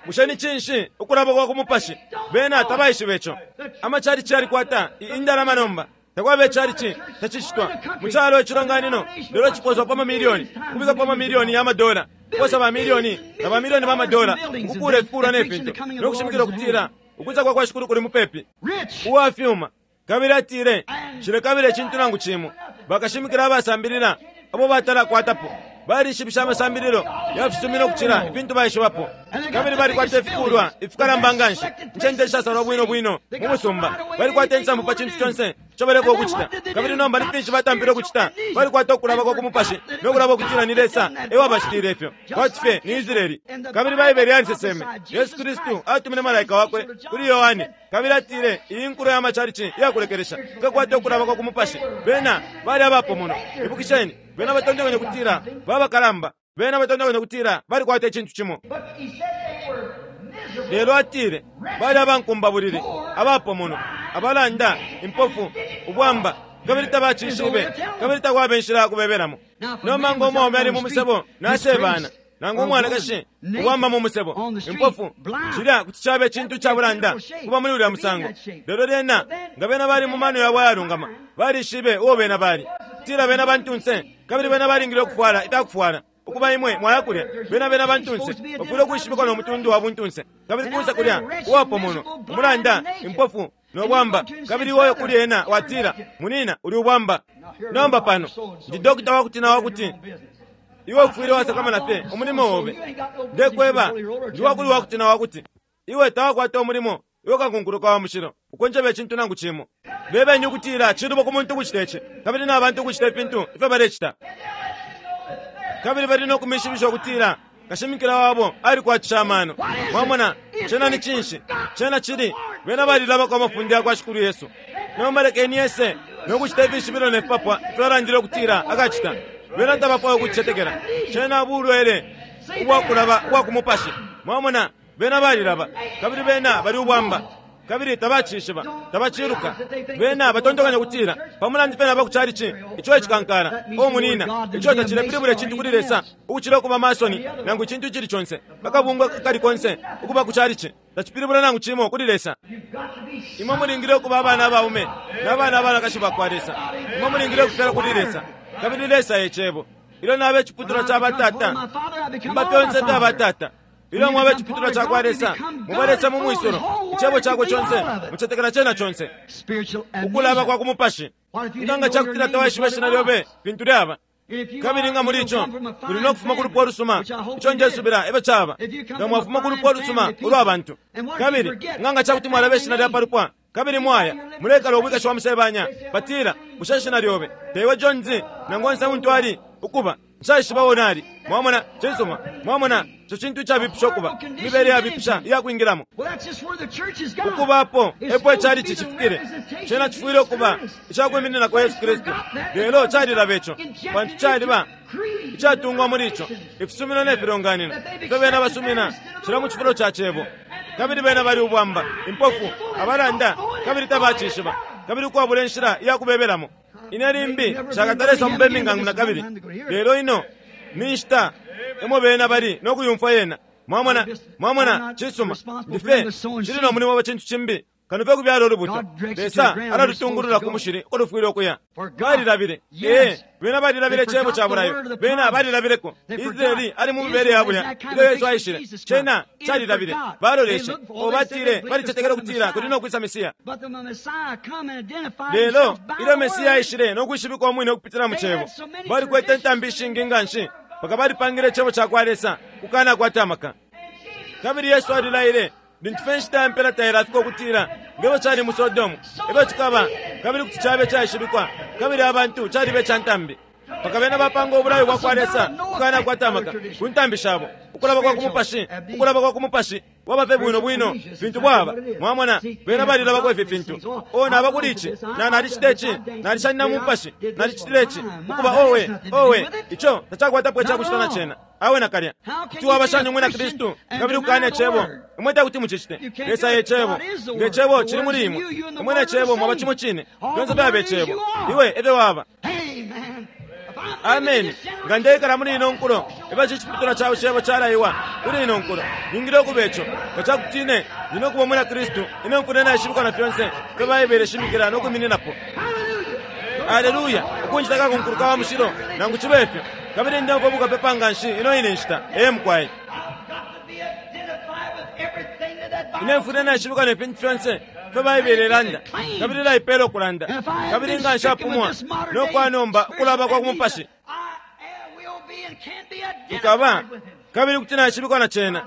Bushe ni cinshi? Ukulaba kwa ku mupashi. Bena tabaishiba ico. Amacalici yalikwata indalama nomba. Takwaba icalici tacicitwa mu calo icilonganino, lelo ciposwa pa mamilioni, ukubikapo amamilioni ya madola, kuposa bamilioni na bamilioni ba madola ukukuula ifikuulwa ne fintu, no kushimikila ukutila ukwisa kwa kwa Shikulu kuli mupepi. Uwa fyuma, kabili atile, Nshilekabila icintu nangu cimo. Bakashimikila abasambilila abo batalakwatapo balishibisha amasambililo ya fisumino ukucila ifintu baishibapo, kabili balikwata ifikuulwa ifikalamba nga nshi, incende ishasalwa bwino bwino mu musumba. Balikwata insambu pa cintu conse ico balefwaya ukucita. Kabili nomba ni finshi batampile ukucita? Balikwata ukulaba kwa ku mupashi no kulaba ukutila ni Lesa e wabacitiile ifyo, kwati fye ni Israele. Kabili Baibele yaliseseme, Yesu Kristu atumine malaika wakwe kuli Yohane, kabili atile, Iyi nkulo ya macalici iya kulekelesha ikakwata ukulaba kwa ku mupashi. Bena bali abapomonwa. Ibukisheni, bena batontonkanya ukutila baba bakalamba. Bena batontonkanya ukutila balikwata icintu cimo. Lelo atile bali abankumbabulili, abapomonwa, Abalanda, impofu, ubwamba, kabili tabacishibe, kabili takwaba inshila yakubebelamo. Nomba ngo mwaume ali mu musebo nasebana, nangu umwanakashi ubwamba mu musebo, impofu, cilya kuti caba icintu ca bulanda kuba muli ulya musango. Lelo lyena nga bena bali mu mano yabo ayalungama, balishibe uo bena bali, kutila bena bantunse, kabili bena balingile ukufwala ifyakufwala. Ukuba imwe mwaya kulya, bena bena bantunse bafwile ukwishibikwa no mutundu wa buntunse, kabili kunse kulya uwapomonwa, umulanda, impofu no bwamba, kabili iwe kuli ena watila, munina, uli ubwamba. Nomba pano ndi dokota wakuti na wakuti iwe ufwile wasakamana fye umulimo obe. Ndekweba, ndi wakuli wakuti na wakuti iwe tawakwata umulimo, iwe kakunkuluka wa mushilo ukonjeba icintu nangu cimo. Bebeni ukutila cilubo ku muntu ukucita ici, kabili na bantu ukucita ifintu ifyo balecita, kabili bali no kumishibisha ukutila kashimikila wabo alikwatisha amano. Mwamona, cena ni cinshi? Cena cili bena balilabako amafunde yakwa Shikulu Yesu. Nomba lekeni ese no kucita ifishibilo ne fipapwa ifyo alandile ukutila akacita. Bena tabafwaya ukucicetekela. Cena bulwele ubwakulaba ubwa ku mupashi. Mwamona, bena balilaba, kabili bena bali ubwamba, kabili tabacishiba, tabaciluka. Bena batontokanya ukutila pamulandu fye naba ku chalichi, ico ecikankala. O munina, ico tacilepilibula icintu kuli Lesa ukucila ukuba masoni nangu icintu icili conse, akabungwe kali konse ukuba ku chalichi tacipilibula nangu cimo kuli Lesa. Imwe mulingile ukuba abana abaume na bana abanakashi bakwa Lesa. Imwe mulingile ukufyala kuli Lesa, kabili Lesa e Cebo. Ilyo naba iciputulwa ca batata, mba fyonse fya batata. Ilyo mwaba iciputulwa ca kwa Lesa, muba Lesa mu mwisulo, Icebo cakwe conse, mucetekela cena conse. Ukulaba kwa ku mupashi. Nga nga cakutila tawaishiba ishina lyobe fintu lyaba, kabili nga muli ico muli no kufuma ku lupwa lusuma, ico ndesubila efyo caba, nga mwafuma ku lupwa lusuma ulwa bantu, kabili nga nga cakuti mwalaba ishina lya pa lupwa, kabili mwaya mulekala ubwikashi wa musebanya, batila, bushe ishina lyobe teiwe Jones, nangu onse untu ali ukuba, nshaishiba uo nali. Mwamona, cisuma. Mwamona, ico cintu icabipisha ukuba, imibele yabipisha iyakwingilamo. Ukubapo epo icalici cifikile, cena cifwile ukuba icakwimininako Yesu Kristu. Lelo calilaba ico, pantu caliba icatungwa muli ico, ifisumino ne filonganino ifyo bena basumina cila mu cifulo ca Cebo. Kabili bena bali ubwamba, impofu, abalanda, kabili tabacishiba, kabili ukwabula inshila iyakubebelamo. Ine limbi nshakatalesa mu Birmingham na kabili, lelo ino ni nshita emo bena bali no kuyumfwa yena. Mwamona, mwamona, cisuma, ndi fye cili no mulimo wa cintu cimbi kano fye kubyala ulubuto. Lesa alalutungulula ku mushili uko lufwile ukuya. Balilabile, ee, bena balilabile Cebo ca bulayo, bena balilabileko. Israeli ali mu mibele ya bulya ilyo Yesu aishile, cena calilabile. Baloleshe, o batile balicetekele ukutila kuli no kwisa Mesiya. Lelo ilyo Mesiya aishile no kwishibikwa umwine ukupitila mu Cebo, balikwete intambi ishingi nga nshi mpaka balipangile Icebo ca kwa Lesa kukanakwata amaka. Kabili Yesu alilaile, lintu fye inshita ya mpela tailafika, ukutila nge fyo cali mu Sodomu, e fyo cikaba, kabili kuti cabe caishibikwa, kabili abantu caliba ica ntambi, mpaka bena bapanga ubulayo bwa kwa Lesa ukukanakwata amaka ku ntambi shabo. Ukulaba kwa ku mupashi, ukulaba kwa ku mupashi bwaba fye bwino bwino fintu bwaba. Mwamona, bena balilabako ifi fintu. O, naba kuli ici, na nalicita ici, nalishanina mu mupashi, nalicitile ici, ukuba owe, owe, ico tacakwatapo icakucita na cena. Awe nakalya. Kuti waba shani umwina Kristu kabili ukukana Icebo? Imwe tekuti mucicite. Lesa e Cebo. Nge Cebo cili muli imwe, imwe ne Cebo mwaba cimo cine. Fyonse fyaba Icebo. Iwe efyo waba. Ameni. Nga ndeikala muli ino nkulo, efyo ici ciputulwa ca Cebo calaiwa kuli ino nkulo, ningile ukuba ico. Nga cakuti ine ndi no kuba umwina Kristu, ine mfwile naishibikwa na fyonse ifyo Baibele ishimikila no kwimininapo. Aleluya! Ukunjita kakunkuluka wa mushilo, nangu cibe fyo. Kabili ndeumfwa bukapepa nganshi ino ine nshita. Ee, mukwai. Ine mfwile naishibikwa ne fintu fyonse ifyo Baibele ilanda, kabili ilaipela ukulanda. Kabili nga nshapumwa no kwa nomba ukulaba kwa ku mupashi, nkaba, kabili kuti naishibikwa na cena.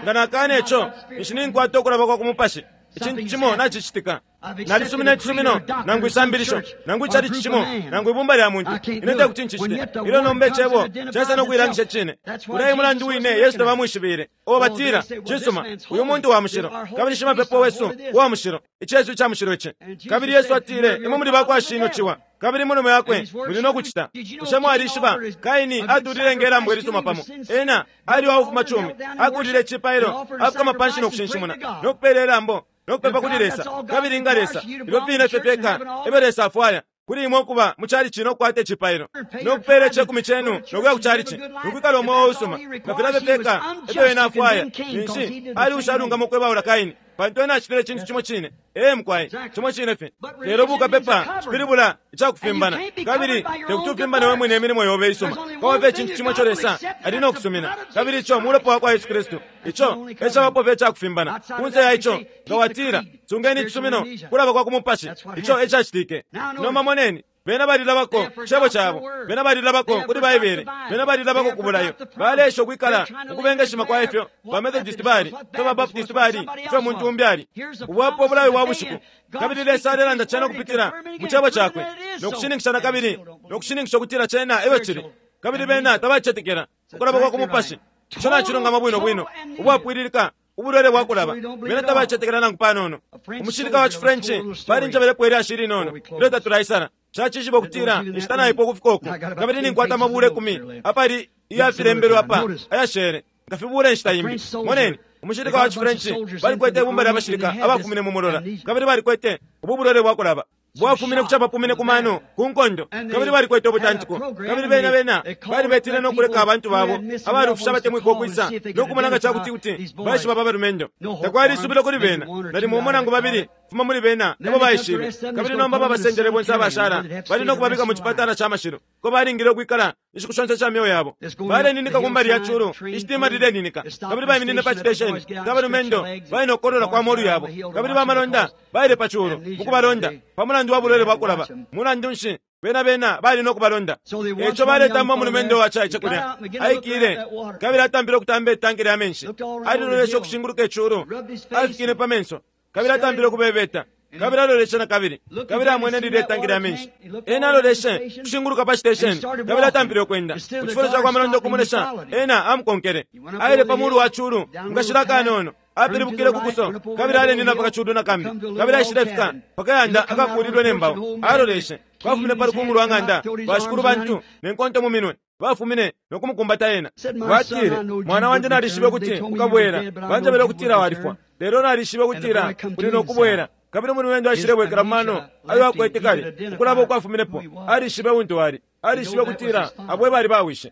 Nga nakana ico, ninshi ninkwata ukulaba kwa ku mupashi. Icintu cimo nacicitika. Nalisumina icisumino, nangu isambilisho, nangu icalici cimo, nangu ibumba lya muntu. Ine tekuti ncicite. Ilyo nomba Icebo caisa no kuilangisha icine. Ulya e mulandu wine Yesu tabamwishibile. O, batila, Cisuma, uyu muntu wa mushilo, kabili shimapepo wesu uwa mushilo. Icesu ica mushilo ici. Kabili Yesu atile, Imwe muli bakwa shinwe ciwa, kabili munume yakwe muli no kucita. Bushe mwalishiba Kaini atulile nge lambo ilisuma pamo? Ena ali wa bufumacumi, akulile icipailo, afukama panshi no kushinshimuna, no kupeela ilambo. no kupepa kuli Lesa. Kabili nga Lesa, ifyo fine fye fyeka efyo Lesa afwaya kuli imwe ukuba mu chalichi no kukwata icipailo, no kupeela icekumi cenu no kuya ku chalichi, no kwikala umweo usuma, nga filya fye fyeka efyo ena afwaya, ninshi ali ushalungama ukwebaula Kaini, pantu ena acitile icintu cimo cine. Ee mukwai, cimo cine fye. Lelo bukapepa cipilibula icakufimbana, kabili tekuti ufimbane we mwine imilimo yobe isuma. Kwaba fye icintu cimo ico Lesa ali no kusumina, kabili ico mulopa wa kwa Yesu Kristu. Ico e cabapo fye icakufimbana. Kunse ya ico, nga watila, sungeni icisumino, kulaba kwa ku mupashi. Ico e cacitike. Nomba moneni. Bena balilabako cebo cabo, bena balilabako kuli Baibele, bena balilabako ku bulayo. Baleesha ukwikala ukubengeshima kwa ifyo ba Methodist bali, ifyo ba Baptist bali, ifyo muntu umbi ali. Ubwapo ubulayo bwa bushiku. Kabili Lesa alelanda cena ukupitila mu cebo cakwe, no kushininkisha na kabili, no kushininkisha ukutila cena efyo cili. Kabili bena tabacetekela ukulaba kwa ku mupashi. Ico nacilungama bwino bwino, ubwapwililika ubulwele bwa kulaba. Bena tabacetekela nangu panono. Umushilika wa ciFrench balinjebelepo ilyashi ilinono ilyo tatulaisala. Cacishiba ukutila inshita naipwa ukufika uku, kabili ninkwata amabula 10 apali iyafilembelwe apa ayashele, nkafibula inshita imbi. Moneni, umushilika wa ciFrench balikwete ibumba lya bashilika abafumine mu mulola, kabili balikwete ubu bulwele bwa kulaba bwafumine ku capapumine ku mano ku nkondo, kabili balikwete ubutantiko, kabili bena bena balibetile no kuleka abantu babo abalufisha abatemwikwa ukwisa no kumona nga cakuti kuti baishiba pa balumendo. Takwali isubilo kuli bena, nalimo umo nangu babili fuma muli bena ebo baishibe. Kabili nomba babasendele bonse abashala, bali no kubabika mu cipatala ca mashilo, ko balingile ukwikala inshiku shonse sha myeo yabo. Baleninika ku mbali ya culu, ishitima lileninika, kabili baiminine pa citesheni ca balumendo, bali no kukolola kwa molu yabo, kabili bamalonda baile pa culu mu kubalonda pa mulandu wa bulwele bwa kulaba. Mulandu nshi bena bena bali no kubalonda? Eco baletamba umulumendo wa caice kulya, aikile kabili atampile ukutamba itanki lya menshi. Aliloleshe ukushinguluka iculu, alifikine pa menso, kabili atampile ukubebeta, kabili aloleshe na kabili, kabili amwene lilya itanki lya menshi. Ena aloleshe ukushinguluka pa citesheni, kabili atampile ukwenda mu cifulo ca kwa malonda ukumulesha. Ena amukonkele, aile pa mulu wa culu mukashila akanono, apilibukile ku kuso, kabili alenina pa kaculu na kambi, kabili aishilefika pa kayanda akakuulilwe ne mbao. Aloleshe, bafumine pa lukungu lwa ng'anda, bashikulu bantu ne nkonto mu minwe, bafumine no kumukumbata ena. Batile, mwana wandi, nalishibe ukuti ukabwela. Banjebele ukutila walifwa, lelo nalishibe ukutila uli no kubwela. Kabili umulumendo aishilebwekela mu mano ayo akwete kale, ukulaba ukwafuminepo. Alishibe untu ali, alishibe ukutila abo bali bawishe.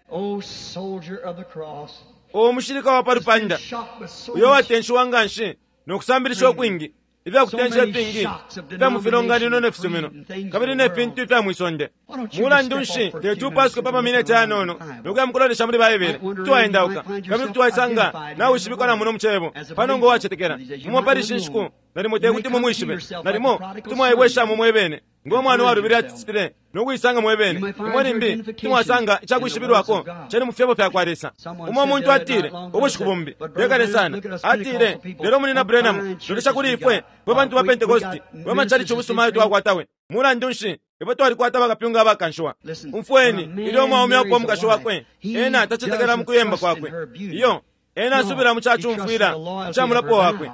O mushilika wa pa lupanda, uyo watenshiwa nga nshi no kusambilisha ukwingi, ifya kutensha ifingi ifya mu filonganino ne fisumino, kabili ne fintu ifya mwisonde. Mulandu nshi teti upasuke pa mamineti ayanono no kuya mukulolesha muli Baibele? Kuti waendauka kabili kuti waisanga nawishibikwa na muno mu cebo pano ngo wacetekela. Mumo pali ishi nshiku nalimo tekuti mumwishibe, nalimo kuti mwaibweshamo mwebene ngo mwana uwalubile acitile no kuisanga mwebene. Imwe limbi kuti mwasanga icakwishibilwako cenu mu fyebo fya kwa Lesa. Umo muntu atile ubushiku bumbi tekale sana, atile, lelo munina Branham, lolesha kuli ifwe fwe bantu ba Pentekosti, fwe machalichi ubusuma ayo twakwata we. Mulandu nshi ifwe twalikwata bakapyunga abakanshiwa? Umfweni, ilyo umwaume aupa umukashi wakwe, ena tacetekela mu kuyemba kwakwe. Iyo, ena asubila mu cacumfwila ica mulapo wakwe,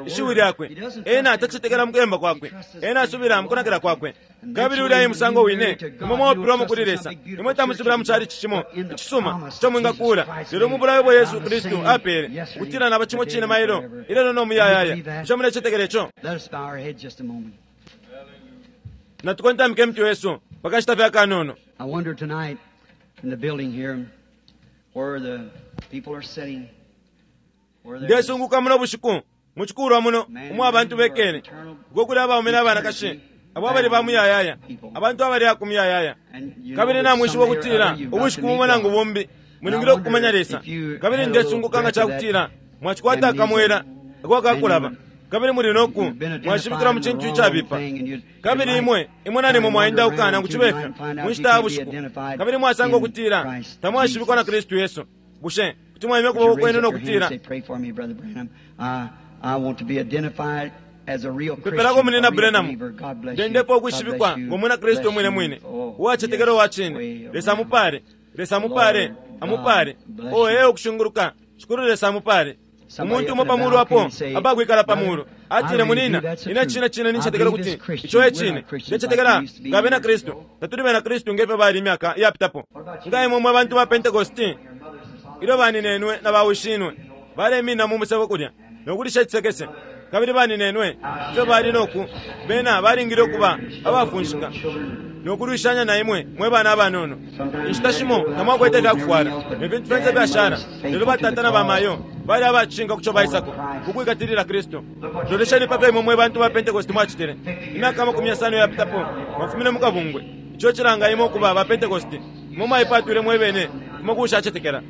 ishiwi lyakwe. Ena tacetekela mu kuyemba kwakwe, ena asubila mu kunakila kwakwe. Kabili ulya e musango wine imwe mwaupilwamo kuli Lesa. Imwe tamusubila mu chalichi cimo icisuma ico mwingakuula, lelo mu bulayo bwa Yesu Kristu apeele, ukutila naba cimo cine mailo, ilelo no muyayaya. Bushe mulecetekela ico? Natukontamike imitwe yesu pa kashita fye akanono. I wonder tonight in the building here where the people are sitting, where there's Ndesunguka muno bushiku mu cikulwa muno umo abantu bekele, uko kuli abaume n'abanakashi abo abali ba muyayaya, abantu abali aku muyayaya. Kabili namwishiba ukutila ubushiku bumo nangu bumbi mulingile ukukumanya Lesa. Kabili ndesunguka nga cakutila mwacikwata akamwela ako akakulaba, kabili muli noku mwashibikilwa mu cintu icabipa. Kabili imwe imwe nalimo mwaendauka nangu cibe fyo mu nshita ya bushiku, kabili mwasanga ukutila tamwashibikwa na Kristu Yesu. Bushe kuti mwaimya ukuboko kwenu no kutila, I want to be identified as a real Christian, Mpepelako a munina real Branham, believer. God bless you. ndendepo God ukwishibikwa bless you. ngo mwina Kristu Bless mwine you. mwine, Oh, uwacetekela yes. uwa cine. Way Lesa around. amupale, Lesa amupale, Lord amupale. God bless O you. ee ukushinguluka, Shikulu Lesa amupale. Somebody Umuntu up umo in the pa mulu apo balcony say, abakwikala pa "Brother, mulu I atile, really munina, do. That's the ine truth. cine cine I nincetekela believe kuti as Christians. ico e We're cine. not Christians Ndecetekela like we used to be nga bena years Kristu, ago. tatuli bena Kristu nge fyo bali imyaka iyapitapo. Nga imwe mwe bantu ba Pentekosti, ilyo baninenwe na bawishinwe baleminina mu musebo kulya no kulisha icisekese, Kabili baninenwe, ifyo bali noku, bena balingile ukuba abafunshika no kulwishanya na imwe mwe bana abanono. Inshita shimo tamwakwete ifya kufwala ne fintu fyonse ifyashala, lelo batata na bamayo bali abacishinka ku co baisako, ku kwikatilila Kristu. Lolesheni pa fyo imwe mwe bantu ba Pentekoste mwacitile. Imyaka 50 iyapitapo, mwafumine mu kabungwe. Ico cilanga imwe ukuba ba Pentekoste. Imwe mwaipatwile mwe bene kufuma ku ushacetekela.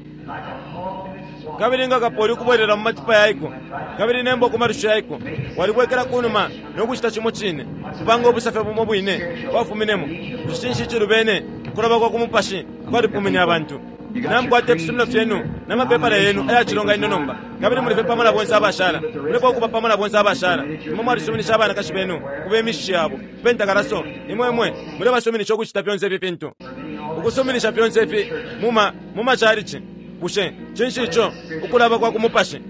Kabili nga kapoli ukubwelela mu matipa yaiko, kabili ne mbwa ku malusho yaiko, walibwekela ku numa no kucita cimo cine, kupanga ubusafya bumo bwine bwafuminemo. Bushe cinshi icilubene? Ukulaba kwa ku mupashi kwalipumine abantu. Namukwata ifisumino fyenu na mapepala yenu aya cilonganino nomba, kabili muli fye pamo na bonse abashala. Mulefwaya ukuba pamo na bonse abashala. Imwe mwalisuminisha abanakashi benu ukuba imishishi yabo, kupenta kalaso. Imwe, imwe mulebasuminisha ukucita fyonse ifi fintu, ukusuminisha fyonse ifi muma, muma chalichi. Bushe cinshi ico? Ukulaba kwa ku mupashi.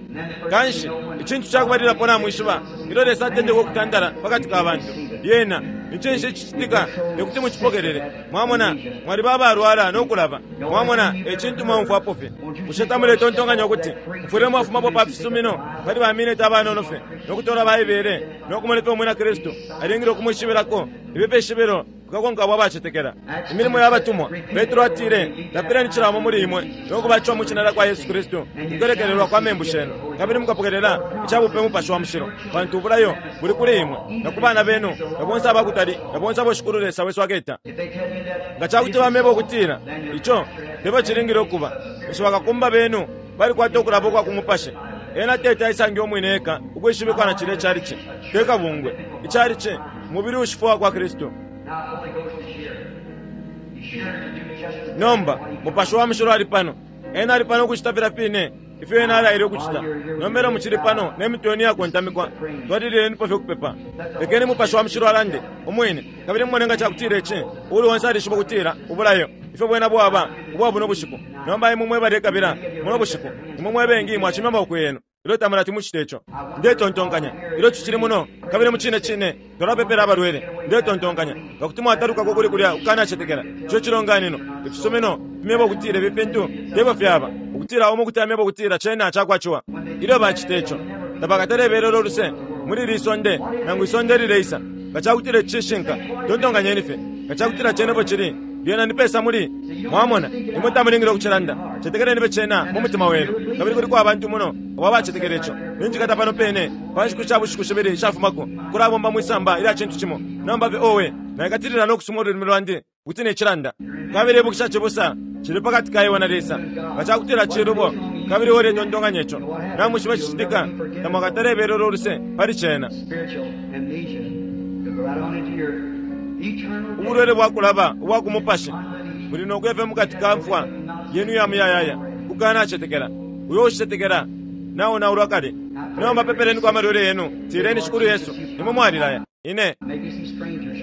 Kanshi, icintu ca kubalilapo namwishiba, ilyo Lesa atendeka ukutandala pa kati ka bantu, lyena ni cinshi icicitika? Te kuti mucipokelele. Mwamona, mwaliba abalwala no kulaba. Mwamona, e cintu mwaumfwapo fye. Bushe tamuletontonkanya ukuti mufwile mwafumapo pa fisumino pali ba mineti abanono fye no kutola Baibele no kumona ifyo Umwina Kristu alingile ukumwishibilako ifi fishibilo? Kukakonka abo abacetekela. Imilimo ya Batumwa, Petro atile, Lapileni cila umo muli imwe, no kubatishiwa mwi shina lya kwa Yesu Kristu ku kulekelelwa kwa membu shenu, kabili mukapokelela ica bupe Mupashi wa Mushilo, pantu ubulayo buli kuli imwe, na ku bana benu, na bonse aba kutali, na bonse abo Shikulu Lesa wesu aketa. Nga ca kuti bameba ukutila ico te fyo cilingile ukuba, ninshi bakakumba benu balikwata ukulaba ukwa ku mupashi. Ena teti aisange umwine eka ukwishibikwa na cilya icalici, te kabungwe. Icalici mubili uushifwa uwa kwa Kristu. Nomba, Mupashi wa Mushilo ali pano. Ena ali pano ukucita filya fine ifyo Ena alaile ukucita. Nomba ilyo mucili pano ne mitwe yenu iyakontamikwa, twalililenipo fye ukupepa. Lekeni Mupashi wa Mushilo alande, Umwine, kabili mumone nga cakutila ici, uuli onse alishiba ukutila ubulayo, ifyo bwena bwaba ubwa buno bushiku. Nomba imwe mwe balekabila muno bushiku, imwe mwe bengi mwacimya amaboko yenu. Ilyo tamulati mucite ico, ndetontonkanya, ilyo tucili muno, kabili mucine cine twalapepela abalwele, ndetontonkanya, nga kuti mwatalukako kuli kulya kukanacetekela, ico cilonganino, ifisumino, fimyeba ukutila ifi fintu tefyo fyaba, ukutila umo kuti amyeba ukutila cena cakwa ciwa. Ilyo bacita ico, tabakatale belela uluse muli ili sonde nangu isonde ilileisa. Nga cakutila ici cishinka, tontonkanyeni fye, nga cakutila cena efyo cili, Lyena ni pesa muli? Mwamona, imwe tamulingile ukucilanda. Cetekeleni fye cena mu mutima wenu. Kabili kuliko abantu muno abo abacetekela ico. Ninjikata pano pene, pa nshiku sha bushiku shibili ishafumako, ukulabomba mwi samba ilya cintu cimo. Nomba fye, owe, naikatilila no kusuma ululimi lwandi, ukuti nicilanda. Kabili ibukisha, cibusa, cili pakati ka iwe na Lesa. Nga cakutila cilubo, kabili iwe uletontonkanya ico, namwishiba icicitika? Tamwakatale belelwa uluse pali cena. Spiritual amnesia to go right on into your Ubulwele bwa kulaba ubwa ku mupashi buli no kuya fye mu kati ka mfwa yenu iya muyayaya ku kukanacetekela. Uyo uushicetekela naonaulwa kale. Nomba pepeleniko amalwele yenu, tileni, Shikulu Yesu, Imwe mwalilaya. Ine.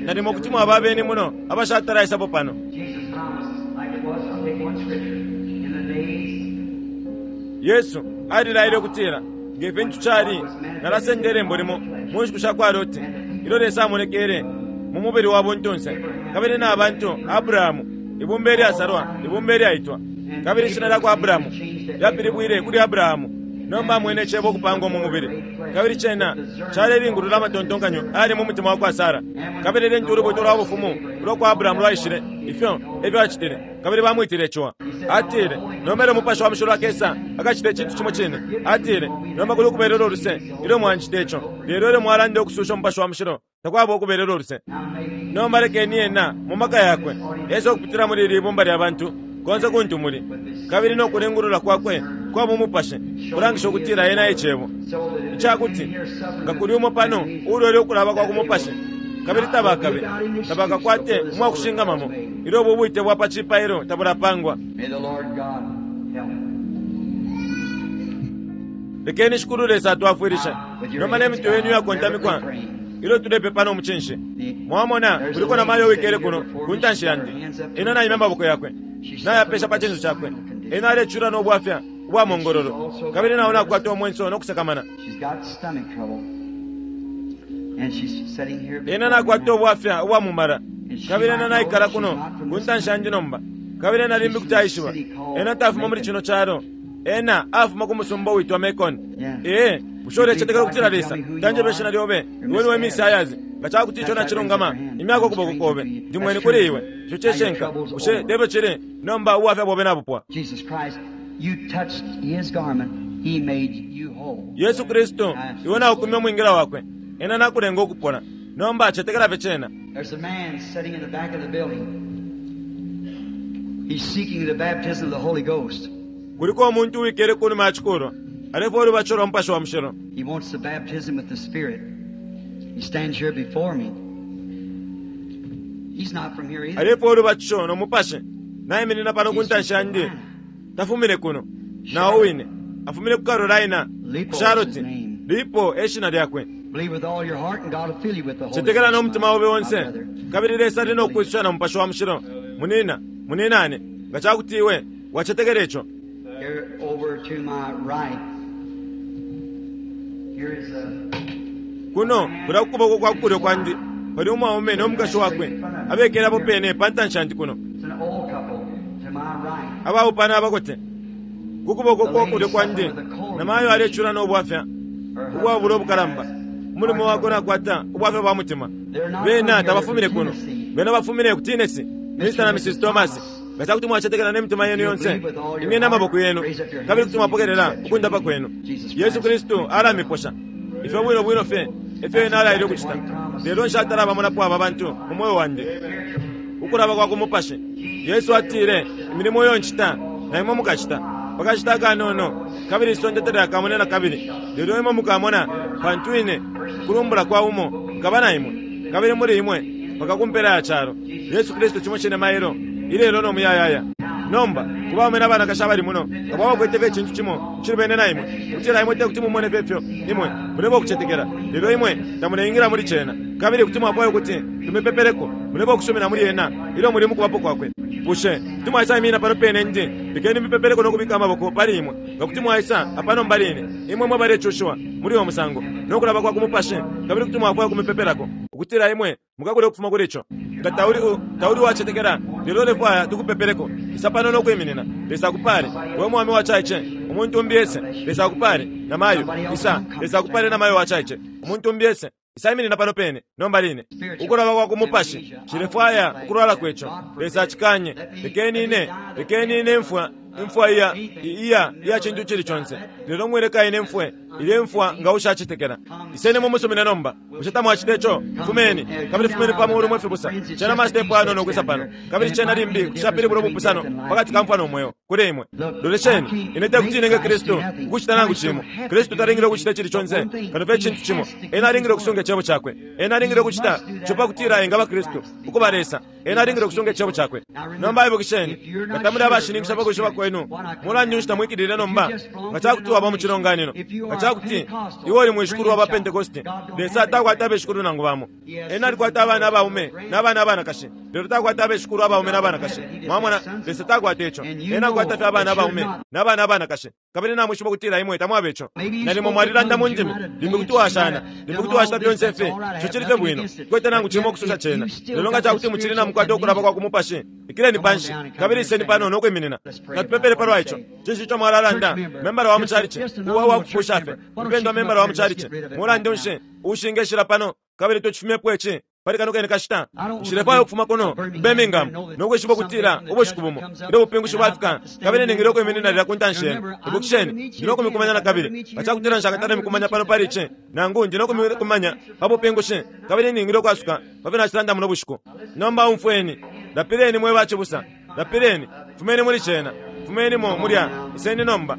Nalimo kuti mwaba abeni muno abashatalaisapo pano. Yesu alilaile ukutila, Nge fintu cali, nalasenda ilembo limo mu nshiku sha kwa Loti, ilyo Lesa amonekele mu mubili wa buntunse, kabili na bantu, Abrahamu, ibumba ilyasalwa, ibumba ilyaitwa. Kabili ishina lya kwa Abramu lyapilibwile kuli Abrahamu. Nomba amwene Icebo ukupangwa mu mubili, kabili Cena calelingulula amatontonkanyo ayali mu mutima wa kwa Sara. Kabili lintu ulubuto lwa Bufumu ulwa kwa Abrahamu lwaishile, ifyo efyo acitile, kabili bamwitile ciwa. Atile, Nomba ilyo Mupashi wa Mushilo akesa, akacita icintu cimo cine. Atile, Nomba kuli ukubelelwo luse ilyo mwancita ico, lelo ilyo mwalanda ukususha Umupashi wa Mushilo, takwaba ukubelelwo luse. Nomba lekeni Ena, mu maka Yakwe, ese ukupitila muli ili ibumba lya bantu, konse kuntu muli, kabili no kulingulula Kwakwe kwa bumupashi kulangisha ukutila Ena e Cebo. Icakuti, nga kuli umo pano uulwele ukulaba kwa ku mupashi, kabili tabakabe, tabakakwate umwakushingamamo ilyo ubu bwite bwa pa cipailo tabulapangwa. Lekeni Shikulu Lesa atwafwilishe nomba ne mitwe yenu iyakontamikwa ilyo tulepepa no mucinshi. Mwamona, kuliko na mayo uwikele kuno ku ntanshi yandi. Ena naimya amaboko yakwe, nayapesha pa cinso cakwe. Ena alecula no bwafya ubwa mongololo, kabili nao nakwata umwenso no kusakamana. Ena nakwata ubwafya ubwa mumala, kabili ena naikala kuno ku ntanshi yandi nomba. Kabili ena limbi kuti aishiba. Ena tafuma muli cino calo. Ena afuma ku musumba uwitwa Macon. Ee. Bushe ulecetekela ukutila Lesa tanjeba ishina lyobe? Iwe niwe Miss Ayers. Nga ca kuti ico nacilungama, imyako ukuboko kobe. Ndi mweni kuli iwe. Ico cishinka. Bushe te fyo cili? Nomba ubwafya bobe nabupwa. Yesu Kristu, iwe naukumya umwingila Wakwe. Ena nakulenga ukupola. Nomba cetekela fye cena. There's a man sitting in the back of the building. He's seeking the baptism of the Holy Ghost. Kuliko umuntu uwikele kunuma ya cikulwa. Alefwaya ulubatisho lwa Mupashi wa Mushilo. He wants the baptism with the Spirit. He stands here before me. He's not from here either. Alefwaya ulubatisho no Mupashi. Naiminina pano ku ntanshi yandi. Tafumine kuno. Na o wine. Afumine ku Carolina, ku Charlotte. Lipo e shina lyakwe. Believe with all your heart and God will fill you with the Holy Cetekela no Ghost, mutima obe my onse brother. kabili Lesa ali no kukwisusha na Mupashi wa Mushilo. Munina, muninane, nga ca kuti iwe wacetekela ico. Here over to my right. Here is a Kuno kulya ku kuboko kwa kulyo kwandi pali umwaume no mukashi wakwe abekele apo pene pa ntanshi yandi kuno. it's an old couple to my right. Abaupana abakote. Ku kuboko kwa kulyo kwandi namayo alecula no bwafya Her ubwabula husband ubukalamba. has Umulume wakwe nakwata ubwafya bwa mutima. Bena tabafumine kuno. Bena bafumine ku Tennessee. Mr. na Mrs. Thomas. Nga ca kuti mwacetekela ne mitima yenu yonse, imyeni amaboko yenu, kabili kuti mwapokelela ukundapa kwenu. Yesu Kristu alamiposha. Ifyo bwino bwino fye efyo ena alaile ukucita. Lelo nshatala bamonapo aba bantu mu mweo wandi. Ukulaba kwa ku mupashi. Yesu atile, imilimo iyo ncita, na imwe mukacita. Pakashita akanono, kabili isonde talyakamone na kabili. Lelo imwe mukamona, pantu ine, kulumbula kwa umo, nkaba na imwe. Kabili muli imwe, mpaka ku mpela ya calo. Yesu Kristu cimo cine mailo, ilelo no muyayaya. Nomba, ku baume na banakashi abali muno, nga bakwete fye icintu cimo icilubene na imwe, ukutila imwe te kuti mumone fye ifyo imwe muleba ukucetekela, lelo imwe tamuleingila muli cena, kabili kuti mwafwaya ukuti tumipepeleko, muleba ukusumina muli ena ilyo muli mu kubapo kwakwe. Bushe kuti mwaisa iminina pano pene ndi, lekeni mipepeleko no kubika amaboko pali imwe, nga kuti mwaisa apa nomba line, imwe mwe balecushiwa muli uyo musango, no kulaba kwa ku mupashi, kabili kuti mwafwaya ukumipepelako, ukutila imwe mukakule ukufuma kuli ico. Nga tauli u, tauli uwacetekela, lelo ulefwaya tukupepeleko, isa pano no kwiminina. Lesa akupale, we mwaume wacaice, umuntu umbi ese. Lesa akupale, namayo, isa. Lesa akupale namayo wacaice, umuntu umbi ese. Isa iminina pano pene, nomba line. Ukulaba kwa ku mupashi, nshilefwaya ukulwala kweco. Lesa acikanye. Lekeni ine, lekeni ine mfwa, imfwa iya, iya, iya cintu icili conse. Lelo mwileka ine mfwe, ilye mfwa nga ushacetekela. Iseni mumusumine nomba. Bushe tamwacita ico? Fumeni, kabili fumeni pa muulu mwe fibusa. Cena masitepu ayanono ukwisa pano. Kabili cena limbi kuti capilibula ubupusano pakati ka mfwa no mweo, kuli imwe. Lolesheni, ine te kuti inenge Kristu ukucita nangu cimo. Kristu talingile ukucita icili conse, kano fye icintu cimo. Ena alingile ukusunga icebo cakwe. Ena alingile ukucita ico pa kutila engaba Kristu, ukuba Lesa. Ena alingile ukusunga icebo cakwe. Nomba ibukisheni, nga tamuli abashininkisha pa kwishiba kwenu, mulandu nshi tamwikilile nomba? Nga ca kuti waba mu cilonganino, nga ca kuti iwe uli mwishikulu wa ba Pentekoste, Lesa takwata abeshikulu nangu bamo. Ena alikwata abana abaume na bana abanakashi, lelo takwata abeshikulu abaume na banakashi. Mwamona, Lesa takwata ico. Ena akwata fye abana abaume na bana abanakashi. Kabili namwishiba ukutila imwe tamwaba ico. Nalimo mwalilanda mu ndimi, limbi kuti washana, limbi kuti wacita fyonse ifi. Ico cili fye bwino. Nkwete nangu cimo ukususha cena. Lelo nga ca kuti mucili namukwata ukulaba kwa ku mupashi, ikileni panshi, kabili iseni pano no kwiminina. Natupepele palwa ico. Cinshi ico mwalalanda? Membala wa mu chalichi, uwa wa kupusha fye. Mpendwa membala wa mu chalichi. Mulandu nshi ushingeshila pano, kabili tucifumyepo ici pali kano kene kashita. Nshilefwaya ukufuma kuno ku Birmingham no kwishiba ukutila ubushiku bumo ilyo ubupingushi bwafika, kabili ningile ukwiminina lilya ku ntanshi yenu. Ibukisheni, ndi no kumikumanya na kabili. Nga ca kutila nshakatale mikumanya pano pali ici, nangu ndi no kumikumanya pa bupingushi, kabili ningile ukwasuka pa fyo nacilanda muno bushiku. Nomba umfweni, lapileni mwe bacibusa, lapileni, fumeni muli cena. Fumenimo mulya, iseni nomba.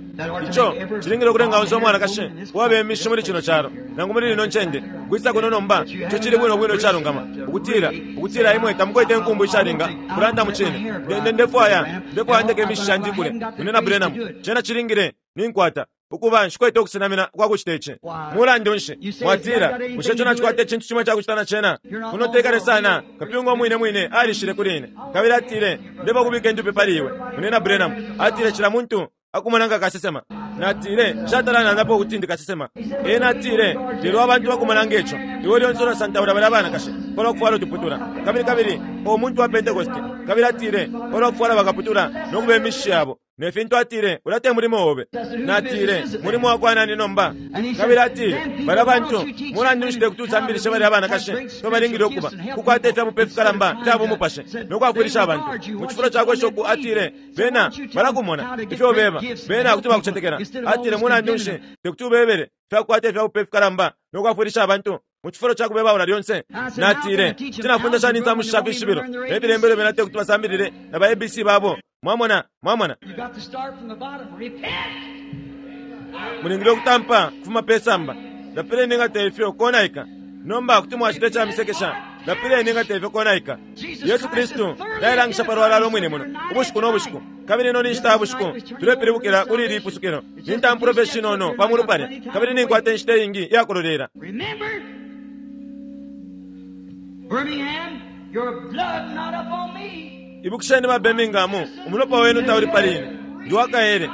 Ico cilingile ukulenga onse umwanakashi uwaba imishi muli cino calo, nangu muli lino ncende, ukwisa kuno nomba. Ico cili bwino bwino icalungama, ukutila, ukutila imwe tamukwete inkumbu ishalinga kulanda mu cine. Nde, ndefwaya, ndefwaya ndeke imishi shandi ikule, Munyina Branham. Cena cilingile, ninkwata ukuba nshikwete ukusenamina kwa kucita ici. Mulandu nshi, mwatila, bushe ico nacikwata icintu cimo icakucita na cena? Kuno tekale sana, kapyunga umwine mwine alishile kuli ine, kabili atile, ndeba kubika indupi pali iwe, Munyina Branham. Atile, cila muntu akumona nga kasesema. Natile, Nshatala nandapo ukuti ndi kasesema. Ena atile, Lelo abantu bakumona nge co. Iwe lyonse ulasantaula balya banakashi palwa kufwala utuputula. Kabili, kabili, o muntu wa Pentecost. Kabili atile, Palwa kufwala bakaputula no kuba imishishi yabo, ne fintu, atile, ulya te mulimo obe. Natile, Mulimo wakwa nani nomba? Kabili atile, Balya bantu, mulandu nshi tekuti usambilishe balya banakashi ifyo balingile ukuba, kukwata ifya bupe fikalamba ifya bumupashi, no kwafwilisha abantu, mu cifulo ca kwesha uku, atile, bena balakumona ifyo ubeba, bena kuti bakucetekela. Atile, Mulandu nshi tekuti ubebele ifya kukwata ifya bupe fikalamba no kwafwilisha abantu, mu cifulo ca kubebaula lyonse? Natile, Kuti nafunda shani insamushi sha fishibilo ne filembelo bena tekuti basambilile na ba ABC babo? Mwamona? Mwamona? Mulingile ukutampa kufuma pe samba. Lapileni nga te ifyo konaika. Nomba kuti mwacita ica misekesha. Lapileni nga te ifyo konaika. Yesu Kristu nailangisha palwalala umwine muno ubushiku no bushiku. Kabili ino ni nshita ya bushiku tulepilibukila kuli ili ipusukilo. Ni ntampulo fye shinono pa mulu palya, kabili ninkwata inshita iingi iya kulolela. Remember, Birmingham, your blood not up on me. Ibukisheni ba Birmingham, umulopa wenu tauli pali ine. Ndi wa kaele.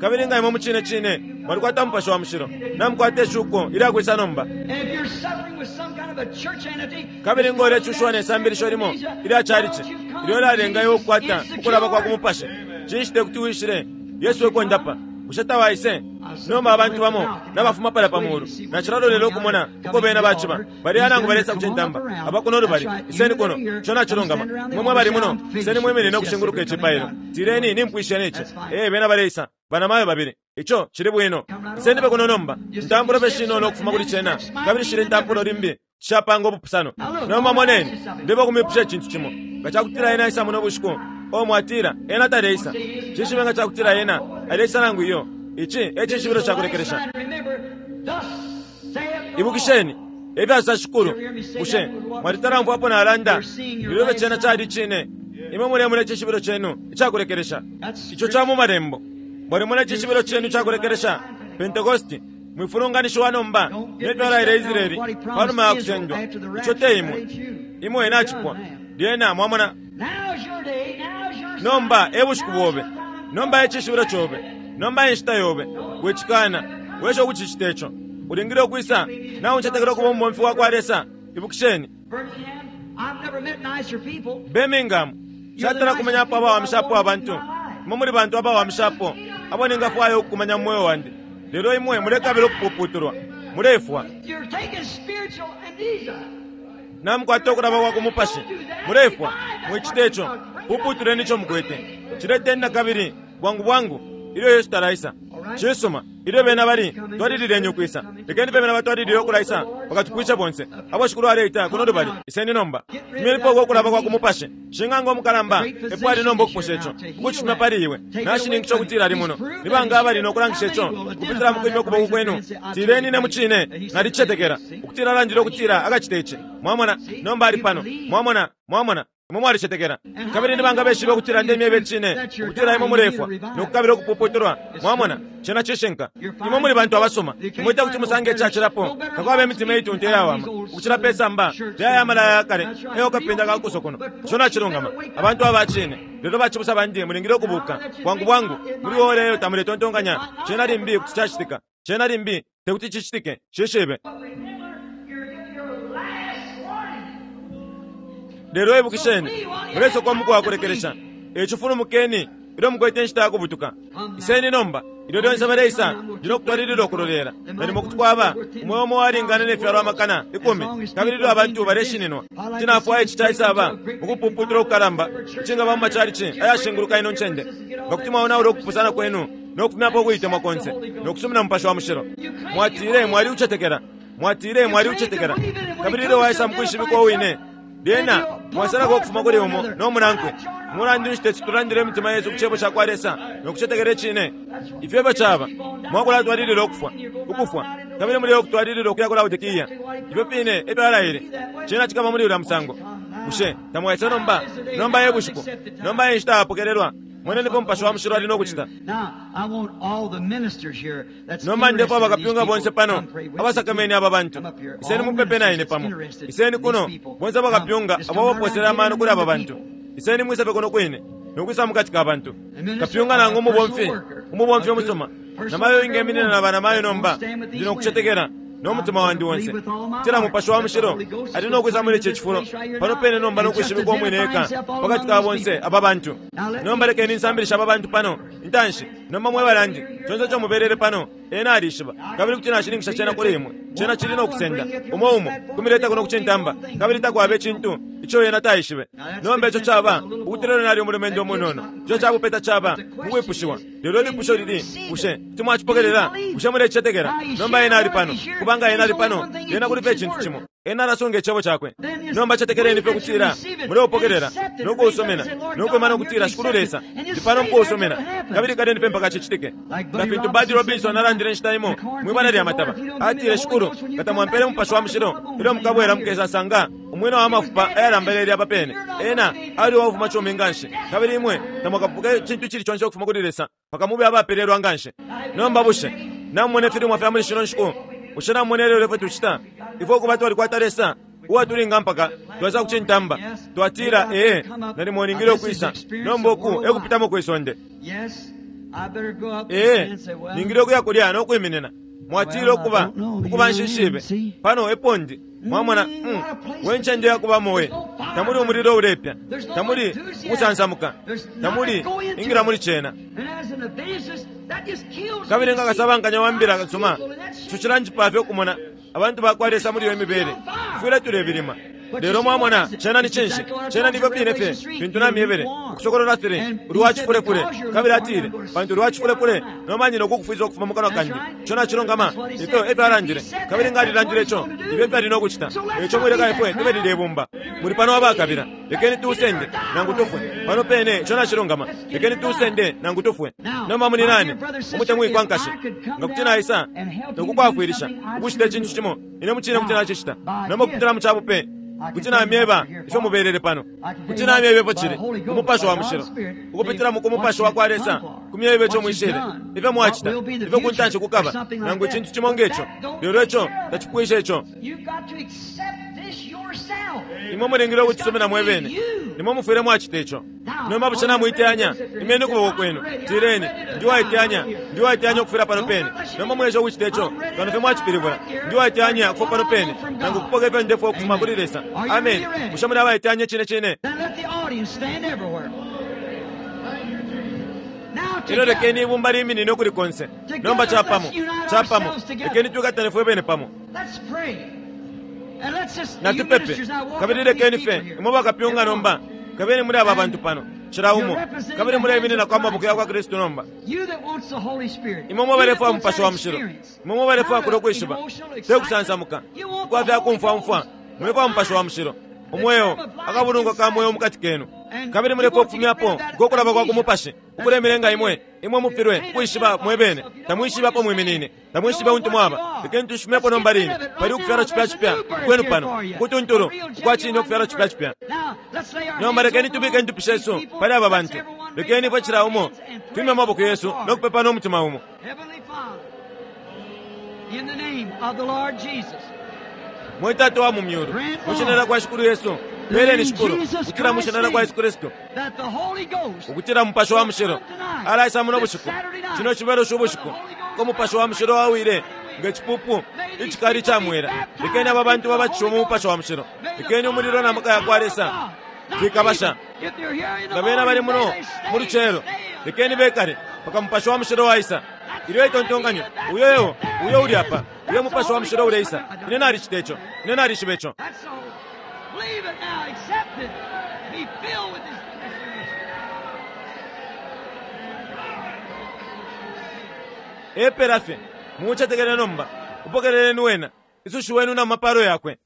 Kabili nga imwe mucine cine mwalikwata Mupashi wa Mushilo, namukwata ishuko ilya kwisa nomba. And if you're suffering with some kind of a church entity, Kabili nga ulecushiwa ne sambilisho limo ilya calici ilyo lyalenga iwe ukukwata ukulaba kwa ku mupashi, cinshi te kuti wishile Yesu ekondapa? Bushe tawaise? Nomba abantu bamo nabafuma palya pa mulu. Nacilalolela ukumona uko bena baciba. Baleya nangu balesa ku cintamba. Aba kuno lubali, iseni kuno. Ico nacilungama. Imwe mwe bali muno, iseni mwiminine ukushinguluka icipailo. Tileni, Nimpwisha ne ci. Ee, bena baleisa. Banamayo babili. Ico cili bwino. Iseni fye kuno nomba. Intampulo fye shinono ukufuma kuli cena, kabili shilya intampulo limbi shapanga ubupusano. Nomba moneni, ndeba ukumipusha icintu cimo. Nga cakutila Ena aisa muno bushiku, oh, mwatila, Ena taleisa. Nshishibe nga cakutila Ena aleisa nangu iyo. Ici e cishibilo ca kulekelesha. Ibukisheni, efya sosa Shikulu. Bushe mwalitala umfwapo nalanda ilyo ifyo cena cali icine? Imwe mulemona icishibilo cenu ica kulekelesha. Ico ca mu Malembo. Mwalimona icishibilo cenu ica kulekelesha, Pentecosti. Mwifulunganishiwa nomba ne fyo alaile Israele panuma ya kusendwa. Ico te imwe. Imwe nacipwa. Lyena, mwamona. Nomba e bushiku bobe. Nomba e cishibilo cobe. Nomba e nshita yobe. Wicikana. Wesha ukucicita ico. Ulingile ukwisa. Nauncetekela ukuba umubomfi wa kwa Lesa. Ibukisheni. Birmingham, nshatala kumanyapo abawamishapo abantu. Imwe muli bantu abawamishapo abo ningafwaya ukukumanya mu mweo wandi. Lelo imwe mulekabila ukupuputulwa. Mulefwa. Namukwata ukulaba kwa ku mupashi. Mulefwa. Mwicite co. Puputuleni ico mukwete. Cileteni na kabili, bwangu bwangu, ilyo Yesu talaisa. Cisuma. Ilyo bena bali, twalilileni ukwisa. Lekeni fye bena batwalilile ukulaisa mpaka tupwishe bonse. Abo Shikulu aleita kuno lubali, iseni nomba. Fumyenipo uko kulaba kwa ku mupashi. Shing'anga umukalamba epo ali nomba ukuposha ico, ukucifumya pali iwe. Nashininkisha ukutila ali muno. Ni banga abali no kulangisha ico ukupitila mu kwimya ukuboko kwenu? Tileni, Ine mucine nalicicetekela ukutila alandile ukutila akacita ici. Mwamona? Nomba ali pano. Mwamona? Mwamona? Imwe mwalicetekela. Kabili ni banga beshibe ukutila ndemyeba icine, ukutila imwe mulefwa no kukabila ukupuputulwa? Mwamona? Cena cishinka. Imwe muli bantu abasuma. Imwe tekuti musange icacilapo. Takwaba imitima iitunta iyawama ukucila pe samba lya aya malaya ya kale ayo kapinda ka kuso kuno. Ico nacilungama. Abantu aba cine. Lelo bacibusa bandi, mulingile ukubuka bwangu bwangu muli ora iyo tamuletontonkanya. Cena limbi kuti cacitika. Cena limbi tekuti cicitike. Nshishibe. Lelo ibukisheni, mulesokwa umuku wa kulekelesha. E ico fulumukeni ilyo mukwete inshita ya kubutuka. Iseni nomba. Ilyo lyonse baleisa, ndi no kutwalilila ukulolela. Nalimo kuti kwaba umweo umo uwalingana ne fyalo 10,000, kabili ilyo abantu baleshininwa, kuti nafwaya ici caisaba ukupuputula ukukalamba icingaba mu macalici ayashinguluka ino ncende, nga kuti mwaonaula ukupusana kwenu no kufumyapo ukuitemwa konse no kusumina Mupashi wa Mushilo. Mwatile mwaliucetekela. Mwatile mwaliucetekela. Kabili ilyo waisa mukwishibikwa uwine, lyena mwasalako ukufuma kuli umo no munankwe. Mulandu nshi teti tulandile imitima yesu ku Cebo cakwa Lesa no kucetekela Icine? Ifyo efyo caba. Mwakulatwalilila ukufwa, ukufwa, kabili muleya ukutwalilila ukuya ku Laodikia. Ifyo fine efyo Alaile. Cena cikaba muli ulya musango. Bushe tamwaisa nomba? Nomba e bushiku. Nomba e nshita yapokelelwa. Moneni ifyo Mupashi wa Mushilo ali no kucita. Nomba ndefwaya bakapyunga bonse pano abasakamene aba bantu. Iseni mupepe na ine pamo. Iseni kuno, bonse bakapyunga abo abaposele amano kuli aba bantu. Iseni mwise fye kuno kwine. no kwisa mukati ka bantu. Kapyunga nangu umubomfi, umubomfi umusuma. Namayo ingeminina na banamayo nomba, ndi no kucetekela no mutima wandi onse. Kutila Mupashi wa Mushilo ali no kwisa muli ici cifulo pano pene nomba no kwishibikwa umwine eka pakati ka bonse aba bantu. Nomba lekeni nsambilishe aba bantu pano intanshi. Nomba mwe balandi, conse ico mubelele pano, Ena alishiba, kabili kuti nashininkisha cena kuli imwe. Cena cili no kusenda umo umo kumileta kuno kucintamba, kabili takwaba icintu ico ena taishibe. Nomba ico caba ukutila ena ali umulumendo umunono, ico cabupeta caba mukwipushiwa. Lelo ilipusho lili, bushe kuti mwacipokelela? Bushe mulecicetekela? Nomba ena ali pano, kubanga ena ali pano, lyena kuli fye icintu cimo. Ena alasunga icebo cakwe. Nomba cetekeleni fye ukutila muleupokelela no kuusomena no kwima no kutila, Shikulu Lesa, ndi pano mukuusomena, kabili kaleni fye mpaka cicitike. Nga fintu Buddy Robinson alandile inshita imo mwi bala lya mataba, atile, Shikulu, nga tamwampele Mupashi wa Mushilo, ilyo mukabwela mukesasanga umwina wa mafupa ayalambelele apa pene. Ena ali uwafuma cumi nganshi, kabili imwe tamwakapuke icintu icili conse ukufuma kuli Lesa mpaka mube abapelelwa nganshi. Nomba bushe namumona ifilimwa fya muli shino nshiku? Bushe namumona ilelo ifyo tucita? Ifwe ukuba twalikwata Lesa uwatulinga mpaka twaisa kucintamba, twatila, Ee, nalimo ningile ukwisa. Nomba uku e kupitamo kwi sonde. Ee, ningile ukuya kulya no kwiminina. Mwatila ukuba, ukuba nshishibe. Pano epo ndi. Mwamona, we ncende yakubamo we. Tamuli umulilo ulepya. Tamuli ukusansamuka. Tamuli ingila muli cena. Kabili nga kasabankanya wa mbila nsuma, ico cilanjipa fye ukumona abantu bakwa Lesa muli iyo mibele. Tufwile tulebilima. Lelo mwamona, cena ni cinshi? Cena ni ifyo fine fye fintu namyebele. Ukusokolola 3, uli wa cifulefule. Kabili atile, Pantu uli wa cifulefule, nomba ndi no kukufwisa ukufuma mu kanwa kandi. Ico nacilungama. Ifyo efyo alandile. Kabili nga alilandile ico, ifyo efyo ali no kucita. Eico mwileka ifwe tube lilye bumba. Muli pano abakabila. Lekeni tuusende, nangu tufwe. Pano pene, ico nacilungama. Lekeni tuusende, nangu tufwe. Nomba muninane, umutemwikwa nkashi, nga kuti naisa no kukwafwilisha ukucita icintu cimo, ine mucine kuti nacicita. Nomba ukupitila mu cabupe, kuti namyeba ifyo mubelele pano. Kuti namyeba ifyo cili, Umupashi wa Mushilo, ukupitila mu ku Mupashi wa kwa Lesa, kumyeba ico mwishile, ifyo mwacita, ifyo ku ntanshi kukaba, nangu icintu cimo nge co. Lelo ico tacipwisha ico. Imwe mulingile ukucisumina mwe bene. Nimwe mufwile mwacita ico. Nomba bushe namuiteyanya? Imyeni ukuboko kwenu. Tileni, Ndi uwaiteyanya. Ndi uwaiteyanya ukufwila pano pene. Nomba mwiesha ukucita ico, kano fye mwacipilibula. Ndi uwaiteyanya ukufwa pano pene, nangu ukupoka ifyo ndefwaya ukufuma kuli Lesa. Ameni. Bushe muli abaiteyanya icine cine? Elyo lekeni ibumba liminine ukuli konse. Nomba capamo, capamo, lekeni twikatane fwe bene pamo. Natupepe. Kabili lekeni fye imwe bakapyunga nomba, kabeni muli aba bantu pano, cila umo, kabili muleimininako amaboko yakwa Kristu nomba. Imwe mwe balefwaya Mupashi wa Mushilo, imwe mwe balefwaya kulyo kwishiba, te kusansamuka ukwa fya kumfwa umfwa, mulefwaya Mupashi wa Mushilo, umweo, akabulungwa ka mweo mukati kenu. Kabili mulefwaya ukufumyapo uko kulaba kwa ku mupashi ukulemilenga imwe, imwe mufilwe ukwishiba mwebene, tamwishibe apo mwiminine, tamwishibe untu mwaba. Lekeni tushifumepo nomba line. Pali ukufyalwa cipya cipya ukwenu pano, ukutuntulu ukwa cine ukufyalwa cipya cipya. Nomba lekeni tubike indupi shesu pali aba bantu. Lekeni ifwe cila umo twimye amaboko yesu no kupepa no mutima umo. Mwe Tata wa mu myulu, mu shina lya kwa Shikulu Yesu, peleni Shikulu, ukutila mu shina lya kwa Yesu Kristu, ukutila Mupashi wa Mushilo alaisa muno bushiku, cino cibelo ubushiku, uko Mupashi wa Mushilo wawile nge cipupu icikali ica mwela. Lekeni aba bantu babatishiwe mu Mupashi wa Mushilo. Lekeni umulilo na maka ya kwa Lesa fikabasha. Nga bena bali muno mu lucelo, lekeni bekale mpaka Mupashi wa Mushilo waisa. Ilyo itontonkanyo, uyo eo, uyo uli apa, uyo Mupashi wa Mushilo uleisa. Ine nalicita ico. Ine nalishiba ico. Epela fye. Mucetekele nomba. Upokeleleni Wena. Isushiweni na mapalo Yakwe.